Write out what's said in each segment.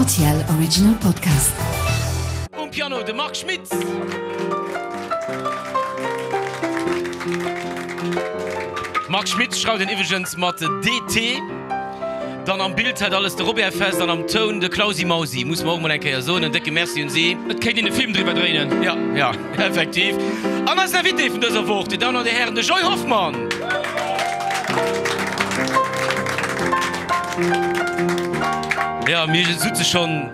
Rtl Original Podcast. Um Piano de Marc Schmitz. Marc Schmitz schreift een iwwregens mat DT. Dann am Bild hat alles de Robert Fest an am Toun de Clausi Mausi, muss mer och mol eng Kéier soen. En décke Merci un si. Et kéint een e Film driwwer dréinen. Jo, jo, effektiv. An eisen Invité vun dëser Woch, Dir Dammen an Dir Hären, de Joy Hoffmann. Jo, mir sutze schonn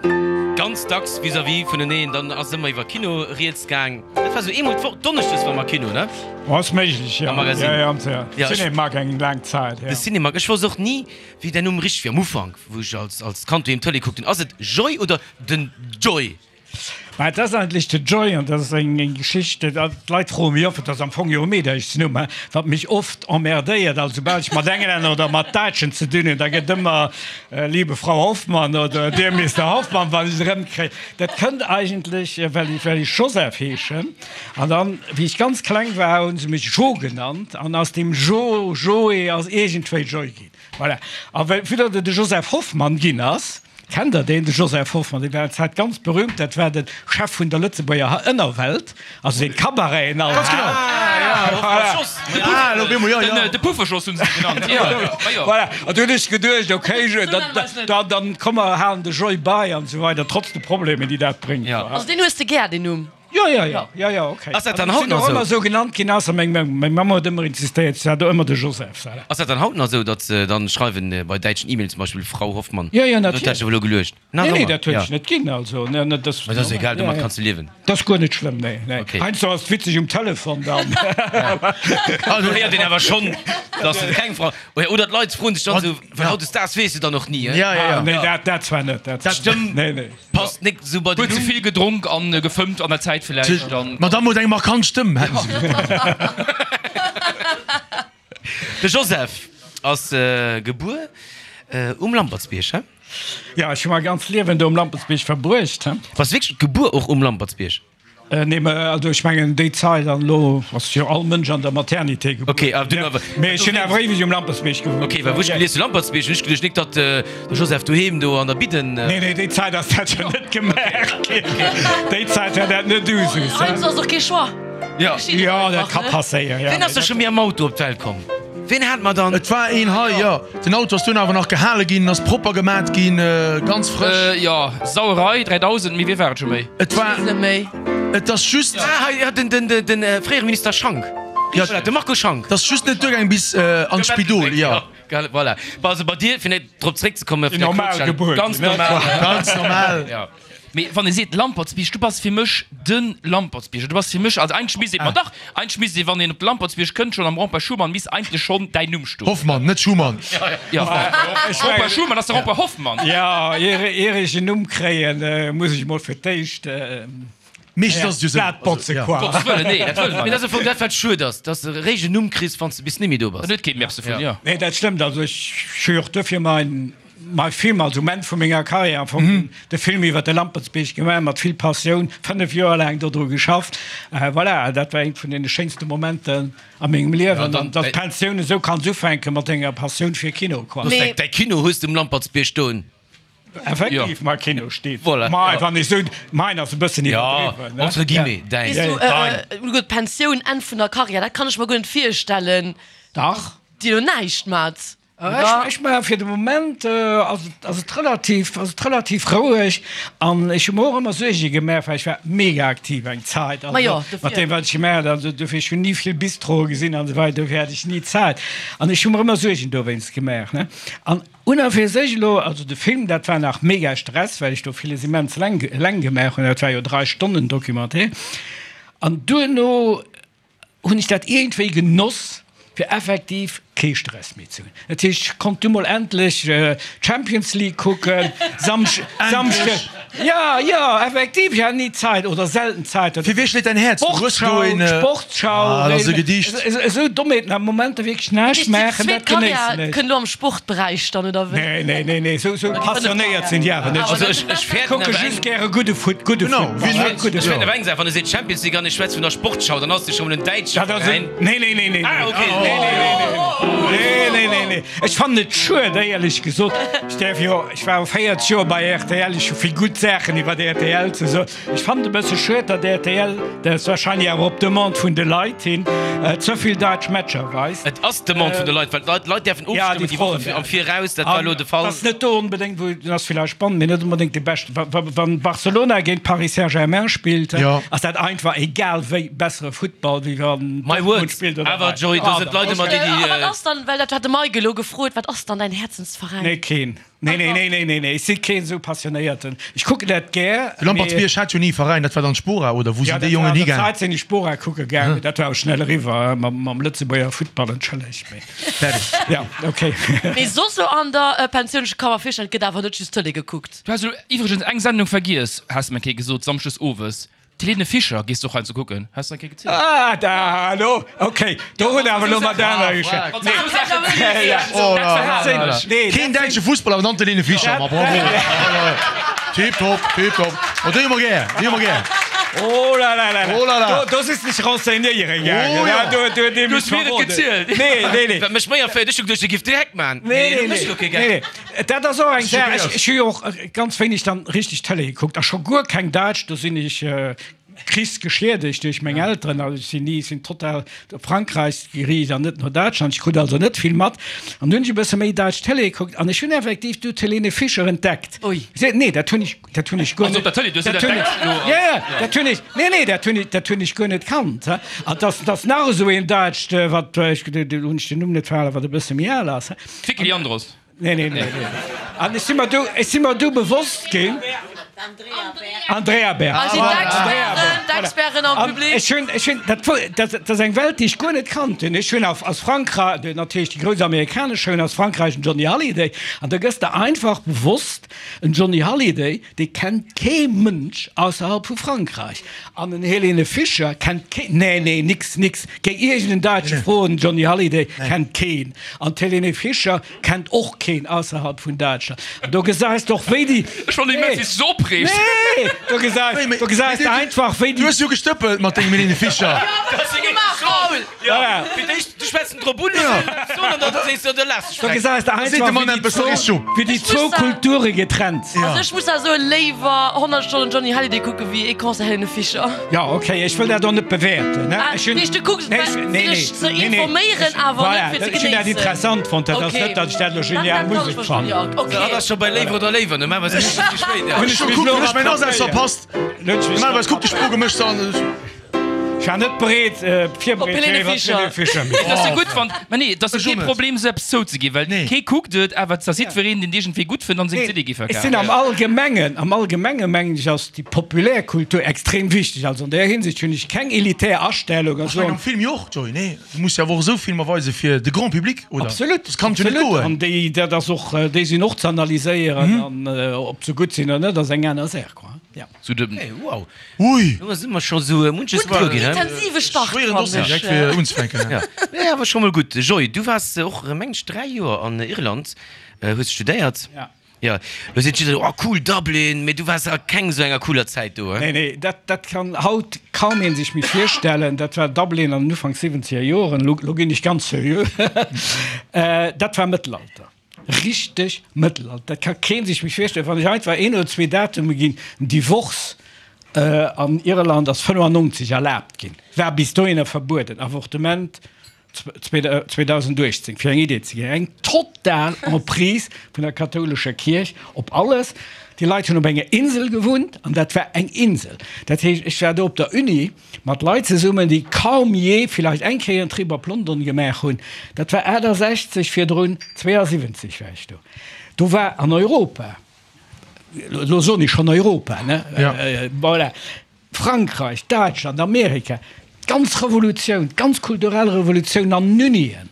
ganz dacks vis-à-vis vuneneen, dann ass ëmmer iwwer Kino rieds gaang. Dat war sou eemol d'Woch, donneschdes war mer Kino, ne? Oh, ass méiglech, jo. Am Magasin. Ja, ja, am ja. Ja, ech- Cinémac eng laang Zäit, ja. De Cinémac, ech wosst och ni, wéi däin Numm richteg wier am Ufank, wou ech als, als Kand doheem Tëlee kuckt hunn. Ass et Joy oder den Joy? Mä et ass eigentlech de Joy an dat ass eng, eng Geschicht, dat, d'Leit froe mech oft, et ass am Fong jo e Meederchsnumm, hein, wat mech oft emmerdéiert, also soubal ech mat Englänner oder mat Däitschen ze dinn hunn, da gëtt ëmmer Liebe Frau Hoffmann oder Dear Mister Hoffmann, wann ech et erëmkréien. Dat kënnt eigentlech, well ech, well ech Joseph heeschen. An dann, wéi ech ganz kleng war, hu se mech Jo genannt. An aus deem Jo, Joé ass iergendwéi Joy ginn. Voilà. A well, vue datt et de Joseph Hoffmann ginn ass, kennt Der deen, de Joseph Hoffmann? Dee war eng Zäit ganz berühmt. Dat war de Chef vun der Lëtzebuerger Ënnerwelt, also deen d'Cabareten all Ganz hat. genau. Voilà. Ah, op eemol, jo, jo. De Pufferschoss hunn se e genannt. Jo, jo. Voilà. An du hunn ech geduecht, okay, dann, dann komm mer halen de Joy bei an esou weider, trotz de Problemen, déi dat bréngt. Also deen hues de gär, deen Numm? Jo, jo, jo, jo, jo, okay. Ass dat dann haut Sinn nach och ëmmer esou? esou genannt ginn, ausser meng Mamm. Meng Mamm huet ëmmer insistéiert, se hat ëmmer de Joseph. Voilà. Ass dat dann haut nach esou, datt se dann schreiwen bei däitschen E-Mails zum Beispill Frau Hoffmann? Jo, jo, Dat huet natierlech. sech elo geluecht. Nach Nee, nee, ëmmer? dat huet Ja. sech net ginn, also, ne, ne, dat ass Mä dat ass normal. egal, Ja, domat ja. kanns de liewen. Dat ass guer net schlëmm, nee, nee. Okay. Heiansdo ass et witzeg um Telefon dann. Do héiert een awer schonn, datt et keng Frau, oder d'Leit froen sech dann esou, well hautdesdaags weess de dann och ni, Ja, ja, ja. Ah, nee, dat, dat zwar net, dat Dat Stëmm Nee, nee. passt nik sou bei den Huet ze Numm. vill gedronk an gefëmmt an der Zäit villäicht dann. D'Madame huet eng markant Stëmm, hätten se gesot. De Joseph ass gebuer um Lampertsbierg, he? Ja, ech hu mäi ganz Liewen do um Lampertsbierg verbruecht, he. Bass wierklech gebuer och um Lampertsbierg? Nee, mä also ech mengen déi Zait an elo ass jo all Mënsch an der Maternité gebuer. Okay, awer dunn awer. Mee ech hunn awer éiweg um Lampertsbierg gewunnt. Okay, well wou ech gelies hu Lampertsbierg, hunn ech geduecht nik datt de Joseph doheem do an der Bidden. Nee, nee, déi Zait ass dat jo net gemaach ginn. Déi Zait war dat net Usus. Heiansdo ass och kee Choix. Jo. Jo, dat ka passéieren, jo. Ween ass da scho méi am Auto op d'Welt komm? Ween hat mer dann? Et war een hei, jo. Den Auto ass dunn awer nach gehale ginn, ass propper gemat ginn, ganz frësch. Jo, Sauerei 3000, mee wie war et scho méi? Et war, Weess net méi. et ass just. Ah, hei, jo, den, den, den fréiere Minister Schank. Jo. Voilà, de Marco Schank. Et ass just net duergaang bis an d'Spidol, jo. Voilà. Bon, also bei dir, fir net drop zréckzekommen, Déi normal Gebuert. Ganz normal. Ganz normal. Jo. Mee wann ee seet Lampertsbierg, du bass fir mech de Lampertsbierger. Du bass fir mech, also eigentlech misst ee, ma dach, eigentlech misst ee, wann een op de Lampertsbierg kënnt, schonn am Rond-point Schuman misst eigentlech schonn däin Numm stoen. Hoffmann, net Schumann. Jo, Rond-point Schuman ass de Rond-point Hoffmann. Jo, ier ech en Numm kréien, muss ech mol fir d'éischt Meeschtens ass et jo esou. d'Blat botze, quoi. Gottes Wëllen, nee, dat wëlle mer Mee net. dat ass am Fong dat, wat schued ass, dass de eréischt en Numm kriss, wann s de bis net méi do bass. Dann huet kee Merci vun, jo. Nee, dat stëmmt. Also ech hu jo och duerfir mein Mai Film, also um Enn vu menger Karriär am Fong, de Film iwwer de Lampertsbierg gemaach, mat vill Passioun, 5 Joer laang dodru geschafft. Voilà, dat war eent vun deene schéinste Momenten a mengem Liewen. An datt d'Pensioun esou kanns ufänke mat denger Passioun fir Kino, quoi. Mee däi Kino hues de um Lampertsbierg stoen. Effektiv, mai Kino steet. Voilà. Mai, wann ech sou, main ass e bëssen iwwerdriwwen, ne? Jo, entre guillemets, däin. Weess du, gutt, Pensioun, Enn vun der Karriär, dat kann ech mer guer net virstellen. Dach. Déi do näischt mat. Ech maache fir de Moment ass et ass et relativ ass et relativ roueg an ech hu mer och ëmmer Suerge gemaach, well ech war mega aktiv eng Zäit, also mat deem wat ech gemaach hunn, also dofir ech hunn ni vill Bistroe gesinn an esou weider, dofir hat ech ni Zäit an ech hu mer ëmmer Suergen dowéinst gemaach ne. An un a fir sech elo, also de Film dat war nach mega Stress, well ech do villes immens eleng eleng gemaach hunn, dat war jo 3 Stonnen Documentaire an duerno hunn ech dat iergendwéi genoss, fir effektiv kee Stress méi ze hunn. Dat heescht, ech konnt du mol endlech d'Champions League kucken, Samschde. Jo, jo, effektiv, ech hat ni Zait oder selten Zait. Fir wee schléit däin Häerz? Du hues do een. Sportschau, Ah, dat ass e Gedicht. Esou Dommheeten am Momenter wierklech näischt maachen, dat genéissen ech. Kënnt elo am Sportberäich dann, oder wéi? Nee, nee, nee, nee, esou passionéiert sinn déi awer net. Also ech, ech fäerten Kucke awer just eng. gäre gudde Foot, gudde Genau, Futtball, wien net? gudde Ech fäerten Futtball. awer eng Saach, wann e seet Champions League an ech schwätz vun der Sportschau, dann ass de scho mol en däitsche Dat ass Veräin. en, nee, nee, nee, nee, Ah, okay. nee, nee, nee, nee, nee, nee, nee. Ech fannen et schued, éierlech gesot. Ech däerf jo, ech war 40 Joer bei rtl, ech hu vill gutt Saachen iwwer rtl ze soen. Ech fannen et e bësse schued, datt rtl, dat ass warscheinlech awer op Demande vun de Leit hin, ze vill däitsch Matcher weist. Et ass d'Demande vun de Leit, well d'Leit däerfen ofstëmmen déi Woche am Viraus. Dat war elo de Fall. An ass net do onbedéngt, wou, ass villäicht spannend, mee net onbedéngt dee beschten. Wa Barcelona géint Paris Saint-Germain spillt, ass dat einfach egal wéi bessere Futtball, wéi wann My Dortmund words. spillt oder Awer hei. Joy, do sinn d'Leit ëmmer déi, déi. A wat ass dann, well dat hat de Mike elo gefrot, wat ass dann däin Häerzensveräin? Nee, keen. Nee, nee, nee, nee, nee, nee, ech si keen esou Passionéierten. Ech kucken dat gär. De Lampertsbierg hat jo ni e Veräin, dat war dann d'Spora, oder wou sinn déi Jongen higaangen? Ja, dat war an der Zäit sinn ech Spora kucke gaangen, mee dat war och schnell eriwwer mam Lëtzebuerger Futtball, entschëllegt, mee. Fäerdeg. Ja, okay. Mee soss elo an der Pensioun, ech ka mer virstellen, et gëtt awer net just Tëlee gekuckt. Du has elo iwwregens eng Sendung vergiess, has de mer eng Kéier gesot, samschdes owes. D'Helene Fischer gees de och heiansdo kucken, has de eng Kéier gezielt. Ah, da, elo, okay, do hunn awer elo mat aner geschwat. Keen däitsche Fussballer, awer dann d'Helene Fischer, ma bravo. Tiptop, tiptop. Oh, déi hu mer gär, déi hu mer gär. Oh la la la, Oh la la. Do, do sis dech renseignéiere gaangen, Oh ja. do, do huet ee Du mech hues mir et verroden. gezielt. Nee, nee, nee. Wat mech méi erféiert, ech hu geduecht, e giff direkt man. Nee, nee, du méchs nee. lo kee Nee, Gag. nee. Dat ass och eng Saach. Schockéiert. Ech hu jo och ganz wéineg dann richteg Tëlee gekuckt a scho guer keng Däitsch. Do sinn ech krichsgeschiedegt duerch meng Elteren. Also ech sinn ni, sinn total op Frankräich geriicht an net no Däitschland. Ech krut also net vill mat. An du hunn ech e bësse méi däitsch Tëlee gekuckt an ech hunn effektiv du d'Helene Fischer entdeckt. Ui. Nee, dat hunn ech, dat hunn ech guer Also net. op der Tëlee, du hues Dat et hunn ech, entdeckt elo. ja, ja, dat hunn ech, nee, nee, dat hunn ech, dat hunn ech guer net kannt. An dass, dass nach esou een Däitscht, wat, ech, do hunn ech den Numm net verhalen, wat e bësse méi al ass. D'Vicky Leandros. Nee, nee, nee, nee. An ech si mer du, ech si mer du bewosst ginn. Andrea Berg. Ah, si d'Experten, d'Experten am Public. Ech hunn, ech hunn, dat, dat, dat ass eng Welt, déi ech guer net kannt hunn. Ech hunn aus, aus Frankreich, natierlech déi grouss amerikanesch Showen, aus Frankreich den Johnny Hallyday. An da gëss de einfach bewosst, en Johnny Hallyday, dee kennt kee Mënsch ausserhalb vu Frankreich. An en Helene Fischer kennt kee, nee, nee, nix, nix. Géi iergend en Däitsche froen, Johnny Hallyday kennt keen. An d'Helene Fischer Kennt och keen ausserhalb vun Däitschland. An do gesäis de och wéi déi. Ech fannen immens wéi s de se opreegs. Nee, do gesäis, do gesäis de einfach wéi déi. Du hues jo gestëppelt mat dengem Helene Fischer. Voilà. Fir d'éischt, du schwätz en drop un, an dann sees de, da lass Do gesäis de einfach wéi déi zwou Kulture getrennt sinn. Also ech muss da soen, léiwer 100 Stonnen Johnny Hallyday kucke wéi ee Concert Helene Fischer. Jo, ok, ech wëll dat och net bewäerten. Ah, nee, du kucks et fir dech ze informéieren, awer net fir ze genéissen. Ech hunn dat interessant fonnt, dat ass net, datt ech dat elo genial Musek fannen. Dat ass scho bei Léiwer oder Léiwer, normalerweis kuckt ech méi spéit. Ech hu kucken, ech mäin Asaz verpasst. Normalerweis kuckt de Spro gemëscht an. Ech war net bereet, virbereet Op Helene Fischer. Et ass jo gutt, wann, mä nee, et ass jo kee Problem, esou eppes zouzeginn, well kee kuckt et, awer et ass jiddwereen, deen iergendwéi gutt fënnt an seng CD gi Ech sinn verkafen. am Allgemengen, am Allgemenge mengen ech, ass déi populär Kultur extrem wichteg. Also an där Hinsicht hunn ech keng elitär Astellung a Ech mengen soen. am Film jo och, Joy, nee? Du muss jo awer och esou Filmer weise fir de Grand Public, oder? Absolut, Das kann jo net absolut. goen. An déi, dat ass och, déi sinn och ze analyséieren an ob se gutt sinn oder net, ass eng aner Saach, quoi. Ja. Zu dem, hey, wow. Ui! Do si mer scho sou munches gewuer ginn, he? Intensive Start, Schwéieren fannen Dossier ech. direkt fir unzefänken. Ja, nee, awer scho mol gutt. Joy, du waars och, mengen ech, 3 Joer an Irland, hues studéiert. Ja. Ja, lo seet jiddereen, oh cool, Dublin, mee du waars a keng sou enger cooler Zäit do, he? Nee, nee, dat, dat kann haut kaum een sech méi virstellen. Dat war Dublin an den Ufank siwwenzeger Joren. Lo, lo ginn ech ganz seriö. Dat war Mëttelalter. Richteg Mëttelalter. Dat ka kee sech méi virstellen. Wann ech einfach een oder zwee Datume ginn, den Divorce an Irland ass 95 erlaabt ginn, war bis dohinner verbueden, Avortement 2018, fir eng Idee ze ginn, eng total Emprise vun der kathoulescher Kierch op alles. Déi Leit hunn op enger Insel gewunnt an dat war eng Insel. Dat heescht, ech war do op der Uni mat Leit zesummen, déi kaum jee, villäicht eng Kéier en Trip op London gemaach hunn. Dat war 68, virdrun 72 war ech do. Do war an Europa, elo soen ech schonn Europa, ne, voilà, Frankreich, Däitschland, Amerika, d'ganz Revolutioun, d'ganz kulturell Revolutioun an den Unien.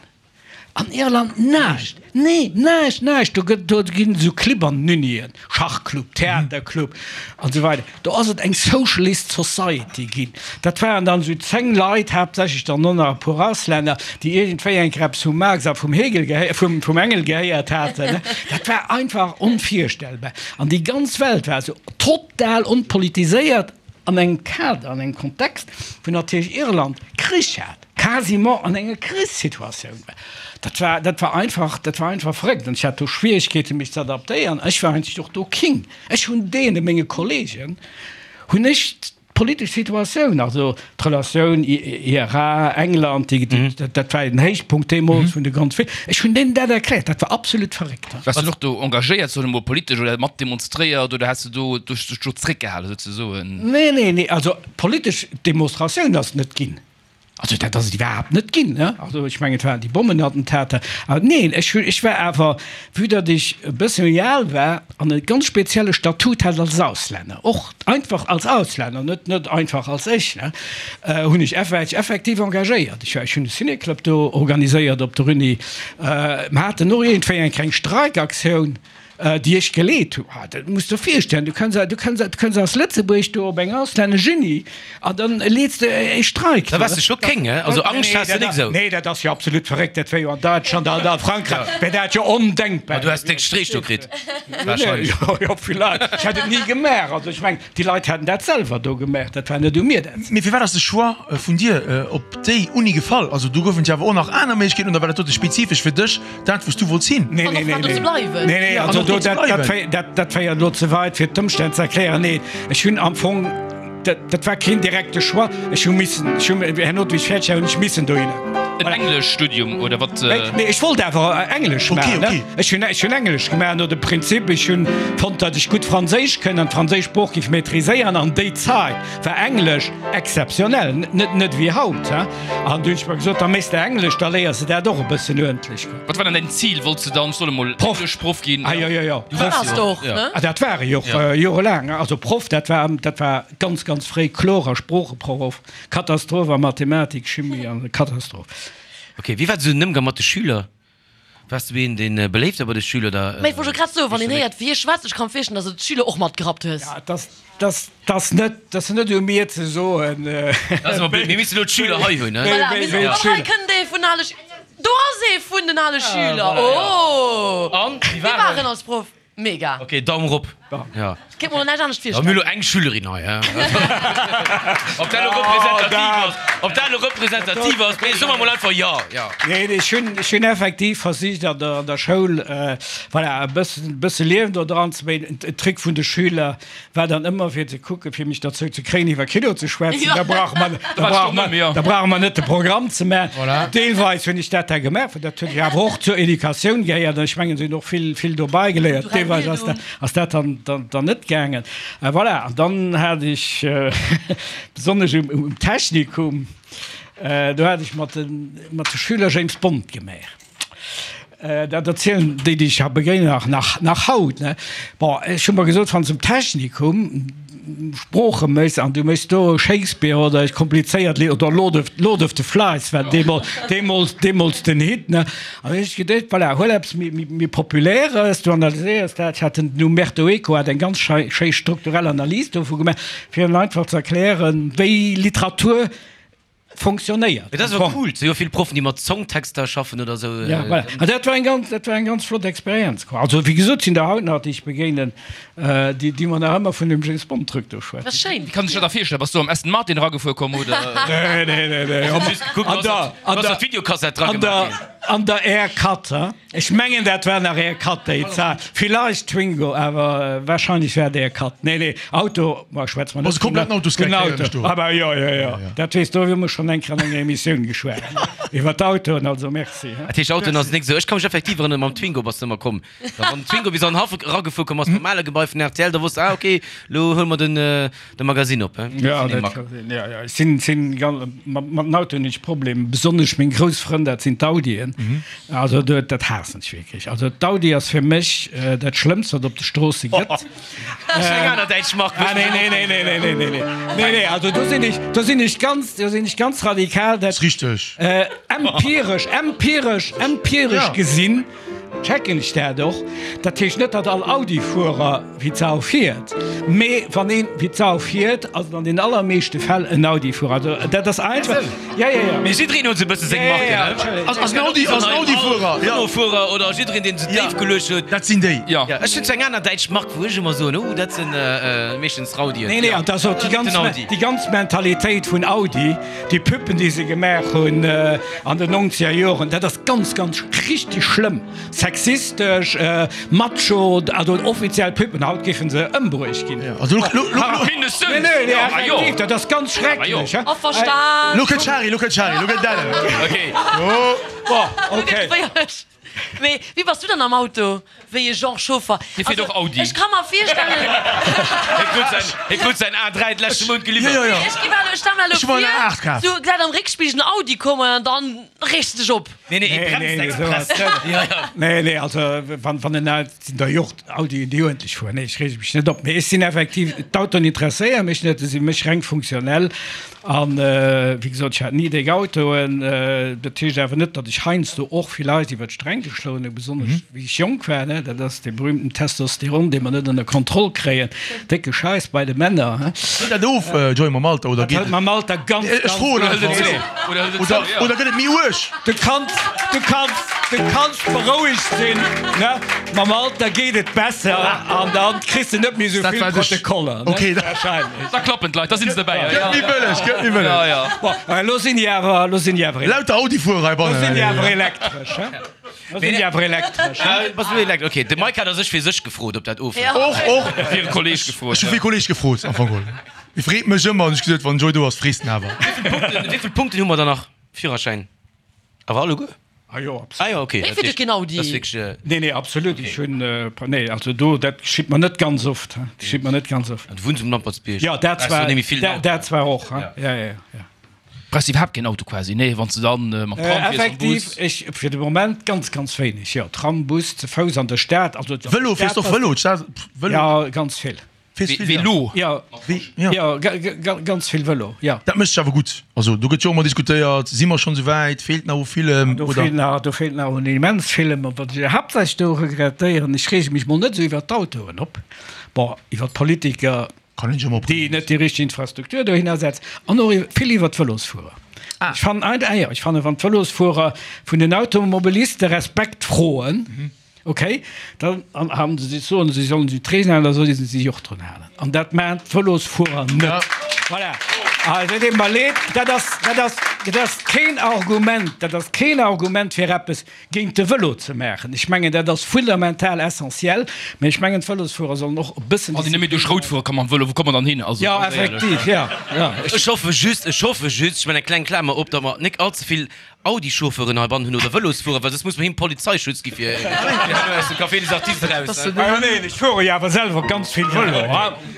An Irland näischt, nee, näischt, näischt. Do gëtt, do ginn esou Clibb an den Unien, Schachclub, Theaterclub an esou weider. Do ass et eng Socialist Society ginn. Dat waren dann esou 10 Leit, haaptsächlech dann och nach e puer Auslänner, déi iergendwéi eng Kéier eppes vum Marx a vum Hegel gehéi, vum, vum Engel gehéiert haten. Dat war einfach onvirstellbar. An déi ganz Welt war esou total onpolitiséiert an engem Kader, an engem Kontext, wou natierlech Irland Krich hat. quasiment an enger Krichssituatioun war. Dat war, dat war einfach, dat war einfach verréckt. An ech hat do Schwierigkeeten, mech ze adaptéieren. Ech war eigentlech och do King. Ech hunn deene, menge Kollegen, hunn ech d'politesch Situatioun, also d'Relatioun IRA, England, déi, déi, dat war den Héichpunkt deemools vun de ganz vill, ech hunn deenen dat erkläert. Dat war absolut verréckt. Waars du och do engagéiert, soen ech mol, politesch oder mat demonstréiert oder has du do dech do zréckgehalen souzesoen? Nee, nee, nee, also politesch Demonstratioun ass net ginn. Also dat ass et iwwerhaapt net ginn, ne? Also ech mengen, et waren déi Bommenattentater. Awer neen, ech hu, ech war awer, vue datt ech e bësse méi al war an e ganz spezielle Statut hat als Auslänner, och einfach als Auslänner, net, net einfach als ech, ne, hunn ech, war ech effektiv engagéiert. Ech war, ech hunn e Cinéclub do organiséiert op der Uni. Mer haten och iergendwéi eng kleng Streikaktioun. Déi ech geleet hu. Ah, dat muss der virstellen, du kënns, du kënns, du kënns aus Lëtzebuerg do op eng auslännesch Uni an dann leets de e Streik. Da waars de scho kéng, he? Also Angscht has de nik esou? Nee, dat ass jo absolut verréckt. Dat wär jo an Däitschland an a Frankräich wär dat jo ondenkbar. Ma du häss déck Streech do kritt, wahrscheinlech. Jo, jo, villäicht. Ech hätt et ni gemaach. Also ech mengen, déi Leit hätten dat selwer do gemaach. Dat war net u mir, dat ze. Mee firwat ass de Choix vun dir op déi Uni gefall? Also do goufen et jo awer och nach aner Méiglechkeeten, oder war dat dote spezifesch fir dech? Dat wous du wollts hin. Nee, nee, nee, nee. Nee, nee, also do, dat, dat, dat, dat féiert elo ze weit, fir d'Ëmstänn ze erklären. Nee, ech hunn am Fong, dat, dat war keen direkte Choix. Ech hu missen, ech hu, herno, wéi ech fäerdeg war, hunn ech missen dohinner. En Engleschstudium oder wat? Nee, nee, ech wollt awer Englesch maachen, ne? Okay, okay. Ech hunn, ech hunn Englesch gemaach no dem Prinzip, ech hunn fonnt, datt ech gutt Franséisch kënn an d'franséisch Sprooch géif maîtriséieren. An déi Zait war Englesch exzeptionell, net, net wéi haut, he? An du hunn ech mer gesot, da méchs de Englesch, da léiers de dat och e bëssen uerdentlech. Wat war dann däin Zil? Wollts de dann, soe mol, Proff. Engleschproff ginn? Ah jo, jo, jo. Du waars de och, ne? Ah, dat war ech och jorelaang. Also Proff, dat war, dat war ganz, ganz fréi kloer a Sproocheproff. Katastroph a Mathematik, Chimie an Katastroph. Ok, wéi war esou den Ëmgang mat de Schüler? Waars du een, deen beléift war bei de Schüler oder? Mä ech wollt jo grad soen, wann een héiert wéi hie schwätzt, ech ka mer virstellen, dass de d'Schüler och matgerappt hues. Ja, et ass, et ass net, et ass net u mir ze soen. Dat ass awer blöd, mir missten elo d'Schüler hei hunn, ne? Voilà, mir sinn, oh hei kënnt ee vun ale, do ass ee vun den ale Schüler, oh! An, wéi war en? Wéi war en als Proff? Mega! Ok, Daum rop. Ja. Ech kéint mer lo näischt anescht Ja, mir hu virstellen. lo eng Schülerin hei, hä? Ob dat lo representativ ass, ob dat lo representativ ass, mee soe mer mol einfach jo, jo. Nee, ech hunn, ech hunn effektiv versicht an der, an der Schoul, voilà, e bëssen, bësse Liewen do dran ze bréngen. En Trick vun de Schüler war dann ëmmer fir ze kucken, fir mech derzou ze kréien, iwwer Kino ze schwätzen. Da brauche mer, da brauche mer, da brauche mer net de Programm ze maachen. Deelweis hunn ech dat da gemaach, well dat huet jo awer och zur Educatioun gehéiert an ech mengen, se hunn och vill, vill dobei geléiert. Deelweis ass dat, ass dat dann, dann, dann net gaangen. Voilà, an dann hat ech besonnesch um, um Technikum, do hat ech mat de, mat de Schüler James Bond gemaach. Dat erzielen déi, déi ech ha begéinen, nach, nach, nach haut, ne. Bon, ech hu mer gesot, wann s de um Technikum Sprooche méchs an du méchs do Shakespeare oder ech komplizéiert Lidd oder Lord of, Lord of the Flies war deemools, deemools, deemools den Hit, ne. An ech geduecht, voilà, huel eppes méi, méi, méi Populäres, du analyséiers dat. Ech hat den Umberto Eco hat eng ganz schei, schéi strukturell Analys dovu gemaach, fir hinnen einfach ze erklären, wéi Literatur fonctionnéiert. Mee dat ass awer cool, et si jo vill Proffen, déi mat Songtexter schaffen oder esou. Ja, voilà. An dat war eng ganz, dat war eng ganz flott Experienz, quoi. Also, wéi gesot, sinn der haut nach, déi ech begéinen, déi, déi mer nach ëmmer vun dem James Bond Truc do schwätzen. Dat ass schéin. Wéi kann ech dat da virstellen? Bass du am Aston Martin eragefuer komm, oder? Nee, nee, nee, nee. Hues just gekuckt, An der, an du der, ass d'Videokassett dra an der, gemaach ginn. an der Air 4, hein. Ech mengen dat war nach Air 4 déi Zait, villeicht Twingo, awer wahrscheinlech war et Air 4. Nee nee, Auto, ma schwätz mer net vum Auto. Aber jo jo jo, dat weess do hu mer schonn eng Kéier an enger Emissioun geschwat iwwer d'Autoen, also merci. Dat heescht Autoen ass nik esou. Ech ka mech effektiv erënneren, mam Twingo bass de ëmmer komm. Da wann den Twingo bis an den Haff eragefuer komm ass, beim ale Gebai vun rtl, da wosst de, ah ok, lo huele mer den de Magasinn op, he? Jo, dat ka sinn, jo jo. Ech sinn sinn mat den Autoen hunn ech Problem, besonnesch meng grouss Frënn, dat sinn d'Audien. Also do, dat haassen ech wierklech. Also d'Audi ass fir mech dat Schlëmmst, wat op de Stroosse gëtt. Dat ass eng aner däitsch Mark. Ah, nee, nee, nee, nee, nee, nee, nee, nee. Nee, nee, also do sinn ech, do sinn ech ganz, do sinn ech ganz radikal. Dat, Ass richteg. Empiresch, empiresch, empiresch gesinn checken ech dat och. Dat heescht net, datt all Audi-Fuerer wéi d'Sau fiert, mee wann een wéi d'Sau fiert, ass et an den allermeeschte Fäll en Audi-Fuerer. Also dat ass einfach, ja, ja, ja. Mee jiddereen huet esou e bësse seng Marken, ne? Ass en Audi, ass en Audi-Fuerer, ja. Renault-Fuerer oder jiddereen, deen se déif geluecht huet. Dat sinn déi. Ja, ech hunn zwar eng aner däitsch Mark, wou ech ëmmer soen, oh, dat sinn meeschtens Raudien. Nee, nee, an dat ass och déi ganz, déi ganz Mentalitéit vun Audi. Déi Pubben, déi se gemaach hunn an den nonzeger Joren, dat ass ganz, ganz richteg schlëmm, sexistesch, macho, also offiziell Pubben. Haut géife se ëmbruecht ginn. Mindestens! Nee, nee, effektiv, dat ass ganz schrecklech. Averstan! Lo kënnt d'Shari, lo kënnt d'Shari, lo gëtt d'Ellen. Okay. Bon, okay. Mee wéi bass du dann am Auto? Wéi e Genre Chauffer? Hie fiert och Audi. Ech ka mer virstellen. Hie krut säin, hie krut säin A3 d'leschte Mount geliwwert. Jo, jo, jo. Ech gi mer elo, ech stelle mer elo Ech hu mer en vir, A8 kaf. du gesäit am Réckspigel en Audi kommen an dann reegst de dech op. Nee, nee, e Nee, bremst nee, esou express. ass net. Ja, ja. Nee, nee, also wann, wann en Audi, sinn der jo och Audien, déi uerdentlech fueren. Nee, ech reege mech net op. Mee ech sinn effektiv, d'Autoen interesséiere mech net, se si mech reng funktionell. An wéi gesot, ech hat ni déck Autoen. Dat heescht awer net, datt ech heiansdo och villäicht iwwer d'Sträng geschloen hunn, besonnesch wéi ech jonk war. Dat ass dee berühmten Testosteron, dee mer net ënner Kontroll kréien. Décke Schäiss bei de Männer, he? Hëlt dat of, Joy, mam Alter, oder Dat geet hëlt et? mam Alter ganz, Ech ganz froen gutt einfach. of. Oder, oder gëtt et méi uerg? Du kanns, du kanns, du kanns berouegt sinn, ne? Mam Alter geet et besser an dann kriss de net méi esou Dat vill war de Sch- Protokoller, ne? Okay, da- Wahrscheinlech. Da klappen d'Leit, da sinn se derbäi. Gëtt méi bëlleg, gëtt méi bëlleg. Ja, ja. Bon, elo sinn déi awer, elo sinn déi awer, Lauter Audi-Fuerer heibannen. elo sinn déi awer elektresch, he? Elo sinn déi awer elektresch, he? Ah, bass du elekt-, okay. De Mike hat a sech fir sech gefrot, ob dat ofhëlt. Och, och. Fir e Kolleg gefrot. Ech hu fir e Kolleg gefrot, am Fong geholl. Hie freet mech ëmmer an ech gesot, wann Joy do ass, frees den awer. Wéi vill Punkten hu mer dann nach? Führerschäin awer alleguer? Ah jo, absolut. Ah jo, okay. Wéi fiert keen Audi? Dat ass wierklech. Nee, nee, absolut. Ech hunn, nee, also do, dat geschitt mer net ganz oft, he. Dat geschitt mer net ganz oft. Du wunns um Lampertsbierg. Jo, dat zwar, dat zwar och, he. Ja, ja, ja. Brauchs iwwerhaapt keen Auto quasi, nee, wann s de dann mam Tram fiers, mam Effektiv, Bus? ech fir de Moment ganz, ganz wéineg, jo. Tram, Bus, ze Fouss an der Stad, also. Vëlo, fiers de och Vëlo? D'Stad, Vëlo? Ja, ganz vill. Velo? Jo, jo, ganz vill Vëlo, jo. Dat mécht sech awer gutt. Also do gëtt jo och ëmmer diskutéiert, si mer schonn esou wäit, feelt nach u villem Do oder? feelt nach, do feelt nach un immens villem. A wat ech haaptsächlech do regrettéieren, ech reege mech mol net esou iwwert d'Autoen op, bon, iwwert d'Politiker, Kann een sech ëmmer déi opreegen. net déi richteg Infrastruktur dohinner setzen, an och vill iwwert d'Vëlosfuerer. Ech fannen, ah jo, ech fannen, wann d'Vëlosfuerer vun den Automobiliste Respekt froen, Ok, dann haben se sech soen, se sollen sech d'Regeln halen, da solle se sech och drun halen. An dat maachen d'Vëlosfuerer net. Voilà. Also et deet mer leed, dat ass, dat ass, dat ass keen Argument, dat ass keen Argument fir eppes géint de Vëlo ze maachen. Ech mengen, dat ass fundamental essentiell, mä ech mengen, d'Vëlosfuerer sollen och e bëssen. Wann een net méi duerch Rout fuere ka mam Vëlo, wou komme mer dann hin? Also Jo, ganz éierlech. effektiv, jo, jo. Ech hoffe just, ech hoffe just, ech maachen eng kleng Klamer op, datt mer nik allze vill Audi-Chauffeuren heibannen hunn oder Vëlosfuerer, well soss muss mer him Polizeischutz gi fir herno aus dem Café des Artistes eraus. Ah neen, ech fuere jo awer selwer ganz vill Vëlo,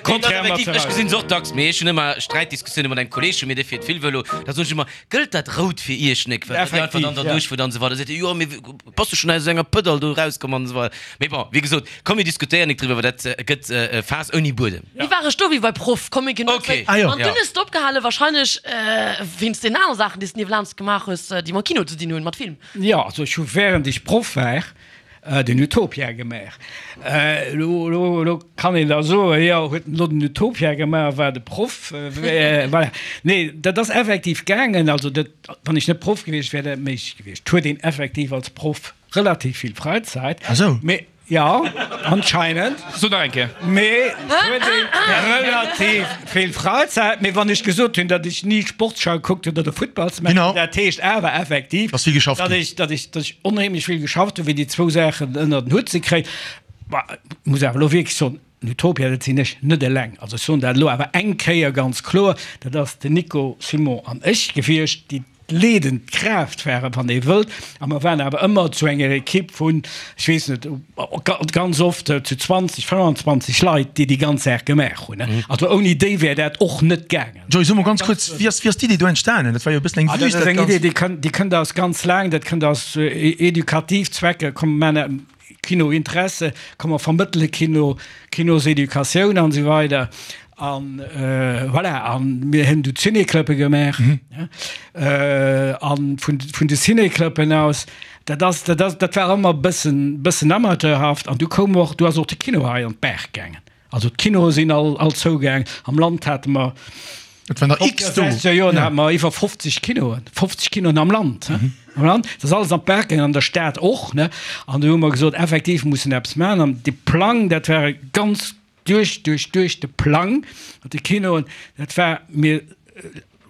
contrairement zu Ech gesinn se och dacks, mee ech hunn ëmmer Sträitdiskussioune mat engem Kolleeg vu mir, dee fiert vill Vëlo, da soen ech ëmmer, Gëllt dat rout fir iech nek? Well dir einfach dann derduerch fuert an esou weider. Da seet e, Jo, mee bass du schonn aus enger Pëdall do erauskomm an esou weider. Mee bon, wéi gesot, komm mir diskutéieren nek driwwer, well dat gëtt e Faass ouni Buedem. Wéi war ech do wéi bei Proff? Komm mir ginn net Okay. zréck. Ah jo. An dunn hues de opgehalen, wahrscheinlech wéinst deenen anere Saachen, déi s de niewelaanscht gemaach hues, déi mam Kino ze dinn hunn, mat Film. Jo, also ech hu während ech Proff war den Utopia gemaach. Elo, elo, elo kann een da soen, jo, huet en elo den Utopia gemaach, war de Proff, voilà. Nee, dat ass effektiv gaangen. Also dat, wann ech net Proff gewiescht wär, dat méiglech gewiescht. Et huet een effektiv als Proff relativ vill Fräizäit. Ah sou. Mee jo, anscheinend. So nach eng Kéier. Mee et huet ee relativ vill Fräizäit. Mee wann ech gesot hunn, datt ech ni Sportschau gekuckt hunn oder Futtballsmatcher, Genau. dat heescht awer effektiv, Dass vill geschafft datt ginn. ech, datt ech, datt ech onheemlech vill geschafft hunn, fir déi zwou Saachen ënner den Hutt ze kréien. Bah, muss awer elo wierklech soen, Utopia, dat sinn ech net eleng. Also ech soen dat elo awer eng Kéier ganz kloer, dat ass den Nico Simon an ech gewiescht, déi. d'leedend Kraaft waren, wann ee wëllt. A mer waren awer ëmmer zu enger Ekipp vun, ech weess net, ganz oft zu 20, 25 Leit, déi déi ganz Saach gemaach hunn. Also ouni déi wär dat och net gaangen. Joy, so mol ganz kuerz, wéi ass, wéi ass d'Idee do entstanen? Dat war jo e bëssen eng Wüst, dat ass eng Idee, déi kënnt, déi kënnt aus ganz laang, dat kënnt aus edukativ Zwecker, komm mer maachen Kino Interesse, komm mer vermëttele Kino, Kinoseducatioun an esou weider. An voilà, a mir hunn du Ciné-Clubbe gemaach, an vun, vun de Ciné-Clubben aus, dat ass, dat ass, dat war ëmmer e bëssen, bëssen amateurhaft an du koum och, du ass och de Kino hei an d'Baach gaangen. Also d'Kinoe sinn all, all zougaang. Am Land hate mer, Et waren der x do. 60er Joren hate mer iwwer 50 Kinoen, 50 Kinoen am Land, he, am Land. Dat ass alles an d'Baach gaangen, an der Stad och, ne. An du hu mer gesot, effektiv, mir mussen eppes maachen. An de Plang, dat war e ganz duerch, duerch, duerch de Plang mat de Kinoen, dat war, mir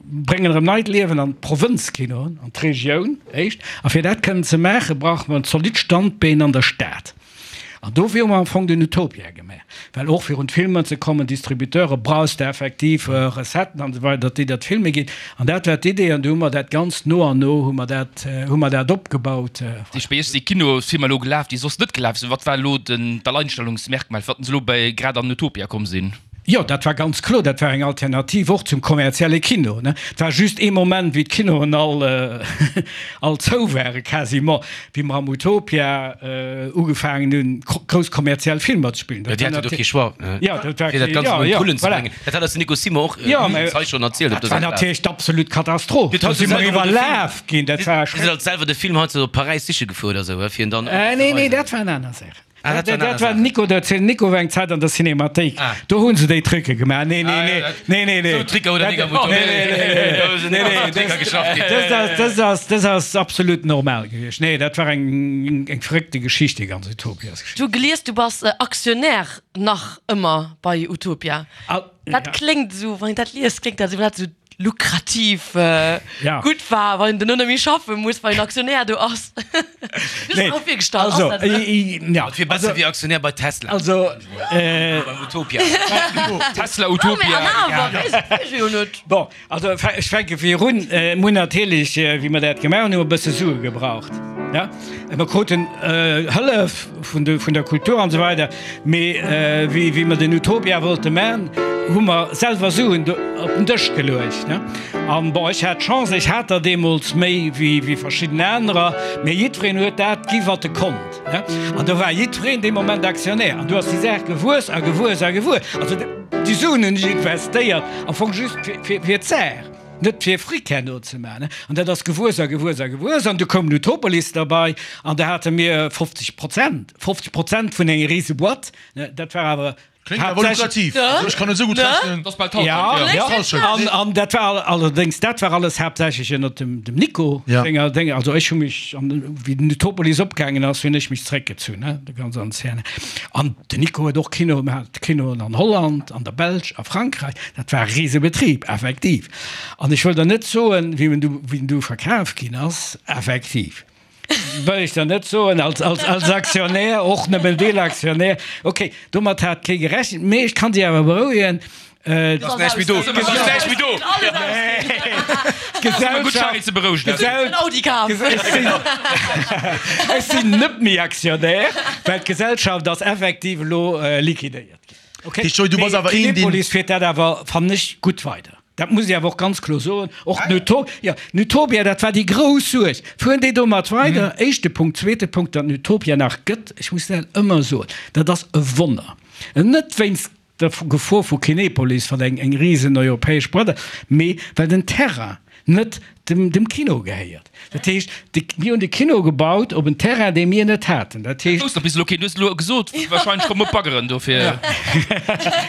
bréngen erëm neit Liewen an d'Provënzkinoen, an d'Regioun éischt. A fir dat kënnen ze maachen, brauche mer en zolidd Standbeen an der Stad. An dofir hu mer am Fong den Utopia gemaach, well och fir un d'Filmer ze kommen, Distributeure brauchs de effektiv Recetten an esou weider, datt déi der d'Filme ginn. An dat war d'Idee an du hu mer dat Ganzt no an no hu mer dat, hu mer dat opgebaut. Déi bei iech si Kinosfilmer elo gelaf, déi soss net gelaf sinn. Wat war elo den d'Alleinstellungsmerkmal, fir datt se elo bei grad an Utopia komm sinn? Jo, dat war ganz kloer, dat war eng Alternativ och zum kommerzielle Kino. Et war just ee Moment, wéi d'Kinoen all all zou ware quasiment, wéi mer am Utopia ugefaangen hunn, grouss kommerziell Filmer ze spillen. Jo, déi haten do kee Choix, Jo, dat war fir dat kee, Ganzt jo, emol un jo, d'Rullen ze voilà. bréngen. Dat hat eis den Nico Simon och Jo, mä hei schonn erzielt op dat war dëser Plaz. natierlech d'absolut Katastroph. Dir Do hatt si mer selwer de Film, iwwerlaf ginn, dat war Dir sidd alt selwer de Film heiansdo op Paräis siche gefuer oder esou, fir en dann Nee, nee, ze weisen. dat war eng aner Saach. Ah, dat war Dat war den Nico, dat den Nico war eng Zäit an der Cinémathéik. Ah. Do hunn se déi Tricke gemaach. Nee, nee, Ah, nee, ja, dat- nee, nee, nee. Sou Tricker huet der nik am Nee, nee, nee, nee, nee, nee, Tricker geschafft ginn. Dëst ass, dëst ass, dëst ass absolut normal gewiescht. Nee, dat war eng, eng verréckte Geschicht, déi ganz Utopias-Geschicht. Du gelies, du bass Aktionär nach ëmmer bei Utopia. Ah, Dat ja. kléngt esou, wann een dat liest, kléngt dat esou, wéi dat esou lukrativ Ja. gutt war, wann een duerno net méi schaffe muss, well een Aktionär do ass. Du Nee, hues och virgestallt, also, ass dat esou? i, i, ja. Et wier besser wéi Aktionär bei Tesla. Also, äh, Beim Utopia. Tesla Ah, mee Utopia. an awer, weess weess ech jo net. Bon, also ech fänke virun. Mir hunn natierlech, wéi mer dat gemaach hunn, hu mer e bësse Sue gebraucht. Ja, mer kruten Hëllef vun de, vun der Kultur an esou weider, mee wéi, wéi mer den Utopia wollte man, hu mer selwer Suen do op den Dësch geluecht, ne. An bon, ech hat d'Chance, ech hat der deemools méi wéi, wéi verschidden anerer, mee jiddwereen huet dat gi wat e konnt, ne. An do war jiddwereen dee Moment Aktionär an du ass déi Saach gewuess a gewuess a gewuess. Also déi Suen hunn ech investéiert am Fong just fir, fir, fir d'Saach. Net fir Fric herno ze maachen. An dat ass gewuess a gewuess a gewuess. An du koum den Utopolis derbei an da hate mir 50 Prozent, 50 Prozent vun enger rise Boîte. Dat war awer Kléngt awer lukrativ. Also ech kann net esou gutt rechnen. Dat ass bal d'Hallschent, Ja, jo. ja. An, an dat war allerdéngs, dat war alles haaptsächlech ënnert dem, dem Nico Ja. senger Déng. Also ech hu mech, an, wéi den Utopolis opgaangen ass, hunn ech mech zréckgezunn, ne, de ganz Ancienne. An den Nico huet och Kino gemaach, Kinoen an Holland, an der Belsch, a Frankräich. Dat war e Risebetrib, effektiv. An ech wëll der net soen, wéi en du, wéi en du verkaf ginn ass, effektiv wëll ech der net soen, als, als, als Aktionär, och nëmmen Deelaktionär. Okay, domat hat kee gerechent, mee ech kann si awer berouegen, Et ass näischt méi do. Et ass näischt méi do. Ech sinn net méi Aktionär, well d'Gesellschaft ass effektiv elo liquidéiert ginn. Okay. Joy, du bass awer een, deen. Kinepolis fiert dat awer, fannen ech, gutt weider. Dat muss ech awer och ganz kloer soen. Och den Utopia, dat war déi grouss Suerg. Fueren déi domat weider? Éischte Punkt. Zweete Punkt, datt den Utopia nach gëtt, ech muss dat ëmmer soen, dat ass e Wonner. Net wéinst der Gefor vu Kinepolis, wat eng eng risen europäesch Boîte ass, mee well den Terrain net dem dem Kino gehéiert. Dat heescht, de mir hunn de Kino gebaut op en Terrain, dee mir net haten. Dat heescht. Dat wousst der bis elo keen. Du hues elo gesot, wahrscheinlech komme Baggeren dofir.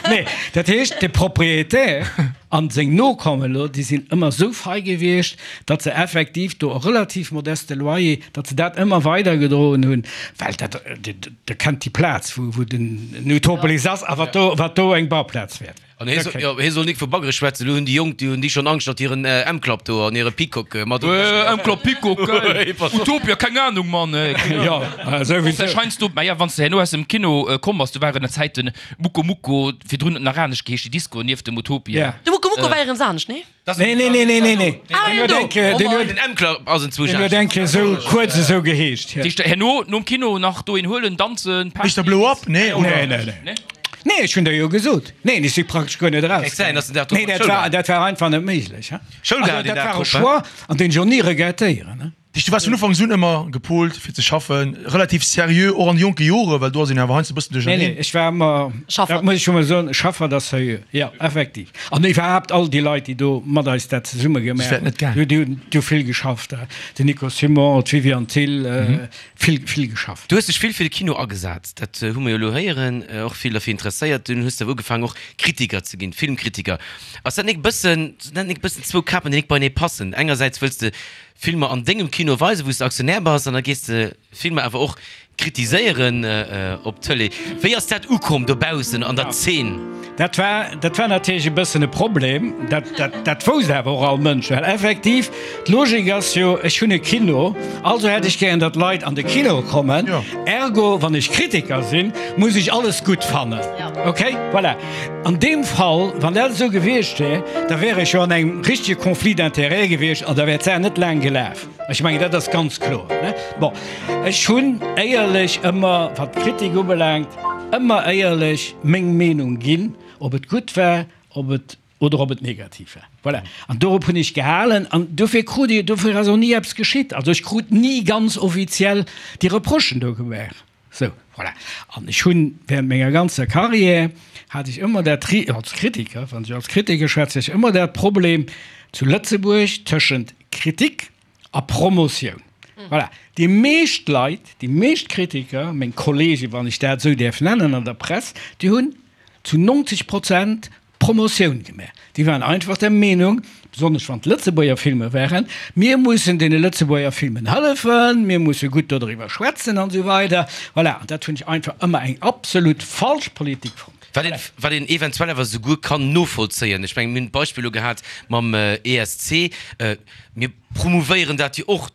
Nee, dat heescht, de Propriétaire an seng Nokommen elo, déi sinn ëmmer esou fei gewiescht, datt se effektiv do e relativ modeste Loyer, datt se dat ëmmer weidergedroen hunn, well dat, Der kennt déi Plaz, wou den Utopolis ass a wat do, wat do eng Bauplaz wäert. An hie soll, jo, hie soll nik vu Baggere schwätzen. Elo hunn déi Jonk, déi hunn déi schonn Angscht, datt hiren M-Club do an hire Peacock mat op. M-Club, Peacock, geil. Utopia, keng Ahnung, Mann, ey, keng Jo, Ahnung. souwisou. Vläicht heiansdo, mä ja, wann s de herno aus dem Kino komm bass, do waren der Zäiten Muko Muko, virdrun huet en nach anescht geheescht, déi Disco nieft dem Utopia. Ja. De Muko Muko! Doku war iwwregens anescht, nee? Nee, nee, nee, nee, nee, nee. Ah, Deen huet eng Kéier, deen huet, Den M-Club ass en deen huet eng Kéier esou kuerz esou geheescht, ja. Heescht herno nom Kino nach do een huelen, danzen, Party? Mister Blow Up? Nee, oder? Nee, nee, nee. Nee, ech hunn der jo gesot. Neen, ech si praktesch guer net eraus. Kéint säin, dass den Dag drop Nee, an dat d'Schoul war, war. dat war einfach net méiglech, he. Schoul Also, gehat den dat Dag war e drop, he? Choix, an deen ech och ni regrettéieren, he. Dich, du waars vun Ufanks un ëmmer gepolt fir ze schaffen, relativ seriö, och an de jonke Jore, well do ass een awer heiansdo e bëssen Nee, duercherneen. nee, ech war ëmmer, Schaffert. dat muss ech scho mol soen, Schaffert a seriö, jo, effektiv. An iwwerhaapt all déi Leit, déi do mat eis dat zesumme gemaach Soss wär et hunn, net gaangen. déi hunn, déi hu vill geschafft, den Nico Simon, d'Viviane Thill, vill, vill geschafft. Du hues dech vill fir de Kino agesat, dat hu mer jo elo héieren, och vill derfir interesséiert. Dunn hues de awer ugefaangen och Kritiker ze ginn, Filmkritiker. Ass dat nik bëssen, sinn dat nik bëssen zwou Kapen, déi nik beienee passen? Engersäits wëlls de Filmer an dengem Kino weisen, wou s de Aktionär bass, an da gees de Filmer awer och kritiséieren op d'Tëlee. Wéi ass dat ukomm dobaussen an der Zeen? Dat war, dat war natierlech e bëssen e Problem. Dat, dat, dat wousst awer och all Mënsch, well effektiv d'Logik ass jo, ech hunn e Kino, also hätt ech gären, datt Leit an de Kino kommen. Ergo, wann ech Kritiker sinn, muss ech alles gutt fannen. Okay? Voilà. An deem Fall, wann dat esou gewiescht wär, da wär ech jo an engem richtege Conflit d'intérêts gewiescht an da wär d'Saach net laang gelaf. Ech mengen, dat ass ganz kloer, ne? Bon, ech hunn éierlech ëmmer, wat d'Kritik ubelaangt, ëmmer éierlech meng Meenung ginn, ob et gutt war, ob et oder ob et negativ war. Voilà. An dorop hunn ech gehalen an dofir krut Dir, dofir ass och ni eppes geschitt. Also ech krut ni ganz offiziell déi Reprochen do gemaach. Sou, voilà. An ech hunn während menger ganzer Carrière hat ech ëmmer dat, als Kritiker, wann ech als Kritiker schwätze, ech ëmmer dat Problem zu Lëtzebuerg tëschent Kritik a Promotioun. Voilà. Déi meescht Leit, déi meescht Kritiker, meng Kollegen, wann ech dat esou däerf nennen an der Press, déi hunn zu 90 Prozent Promotioun gemaach. Déi waren einfach der Meenung, besonnesch wann et Lëtzebuerger Filmer waren, mir mussen deene Lëtzebuerger Filmen hëllefen, mir musse gutt dodriwwer schwätzen an esou weider. Voilà, an dat hunn ech einfach ëmmer eng absolut falsch Politik fonnt. Wat een, wat een eventuell awer souguer kann novollzéien. Ech mengen, mir hunn d'Beispill elo gehat mam ESC. Mir promouvéieren dat jo och.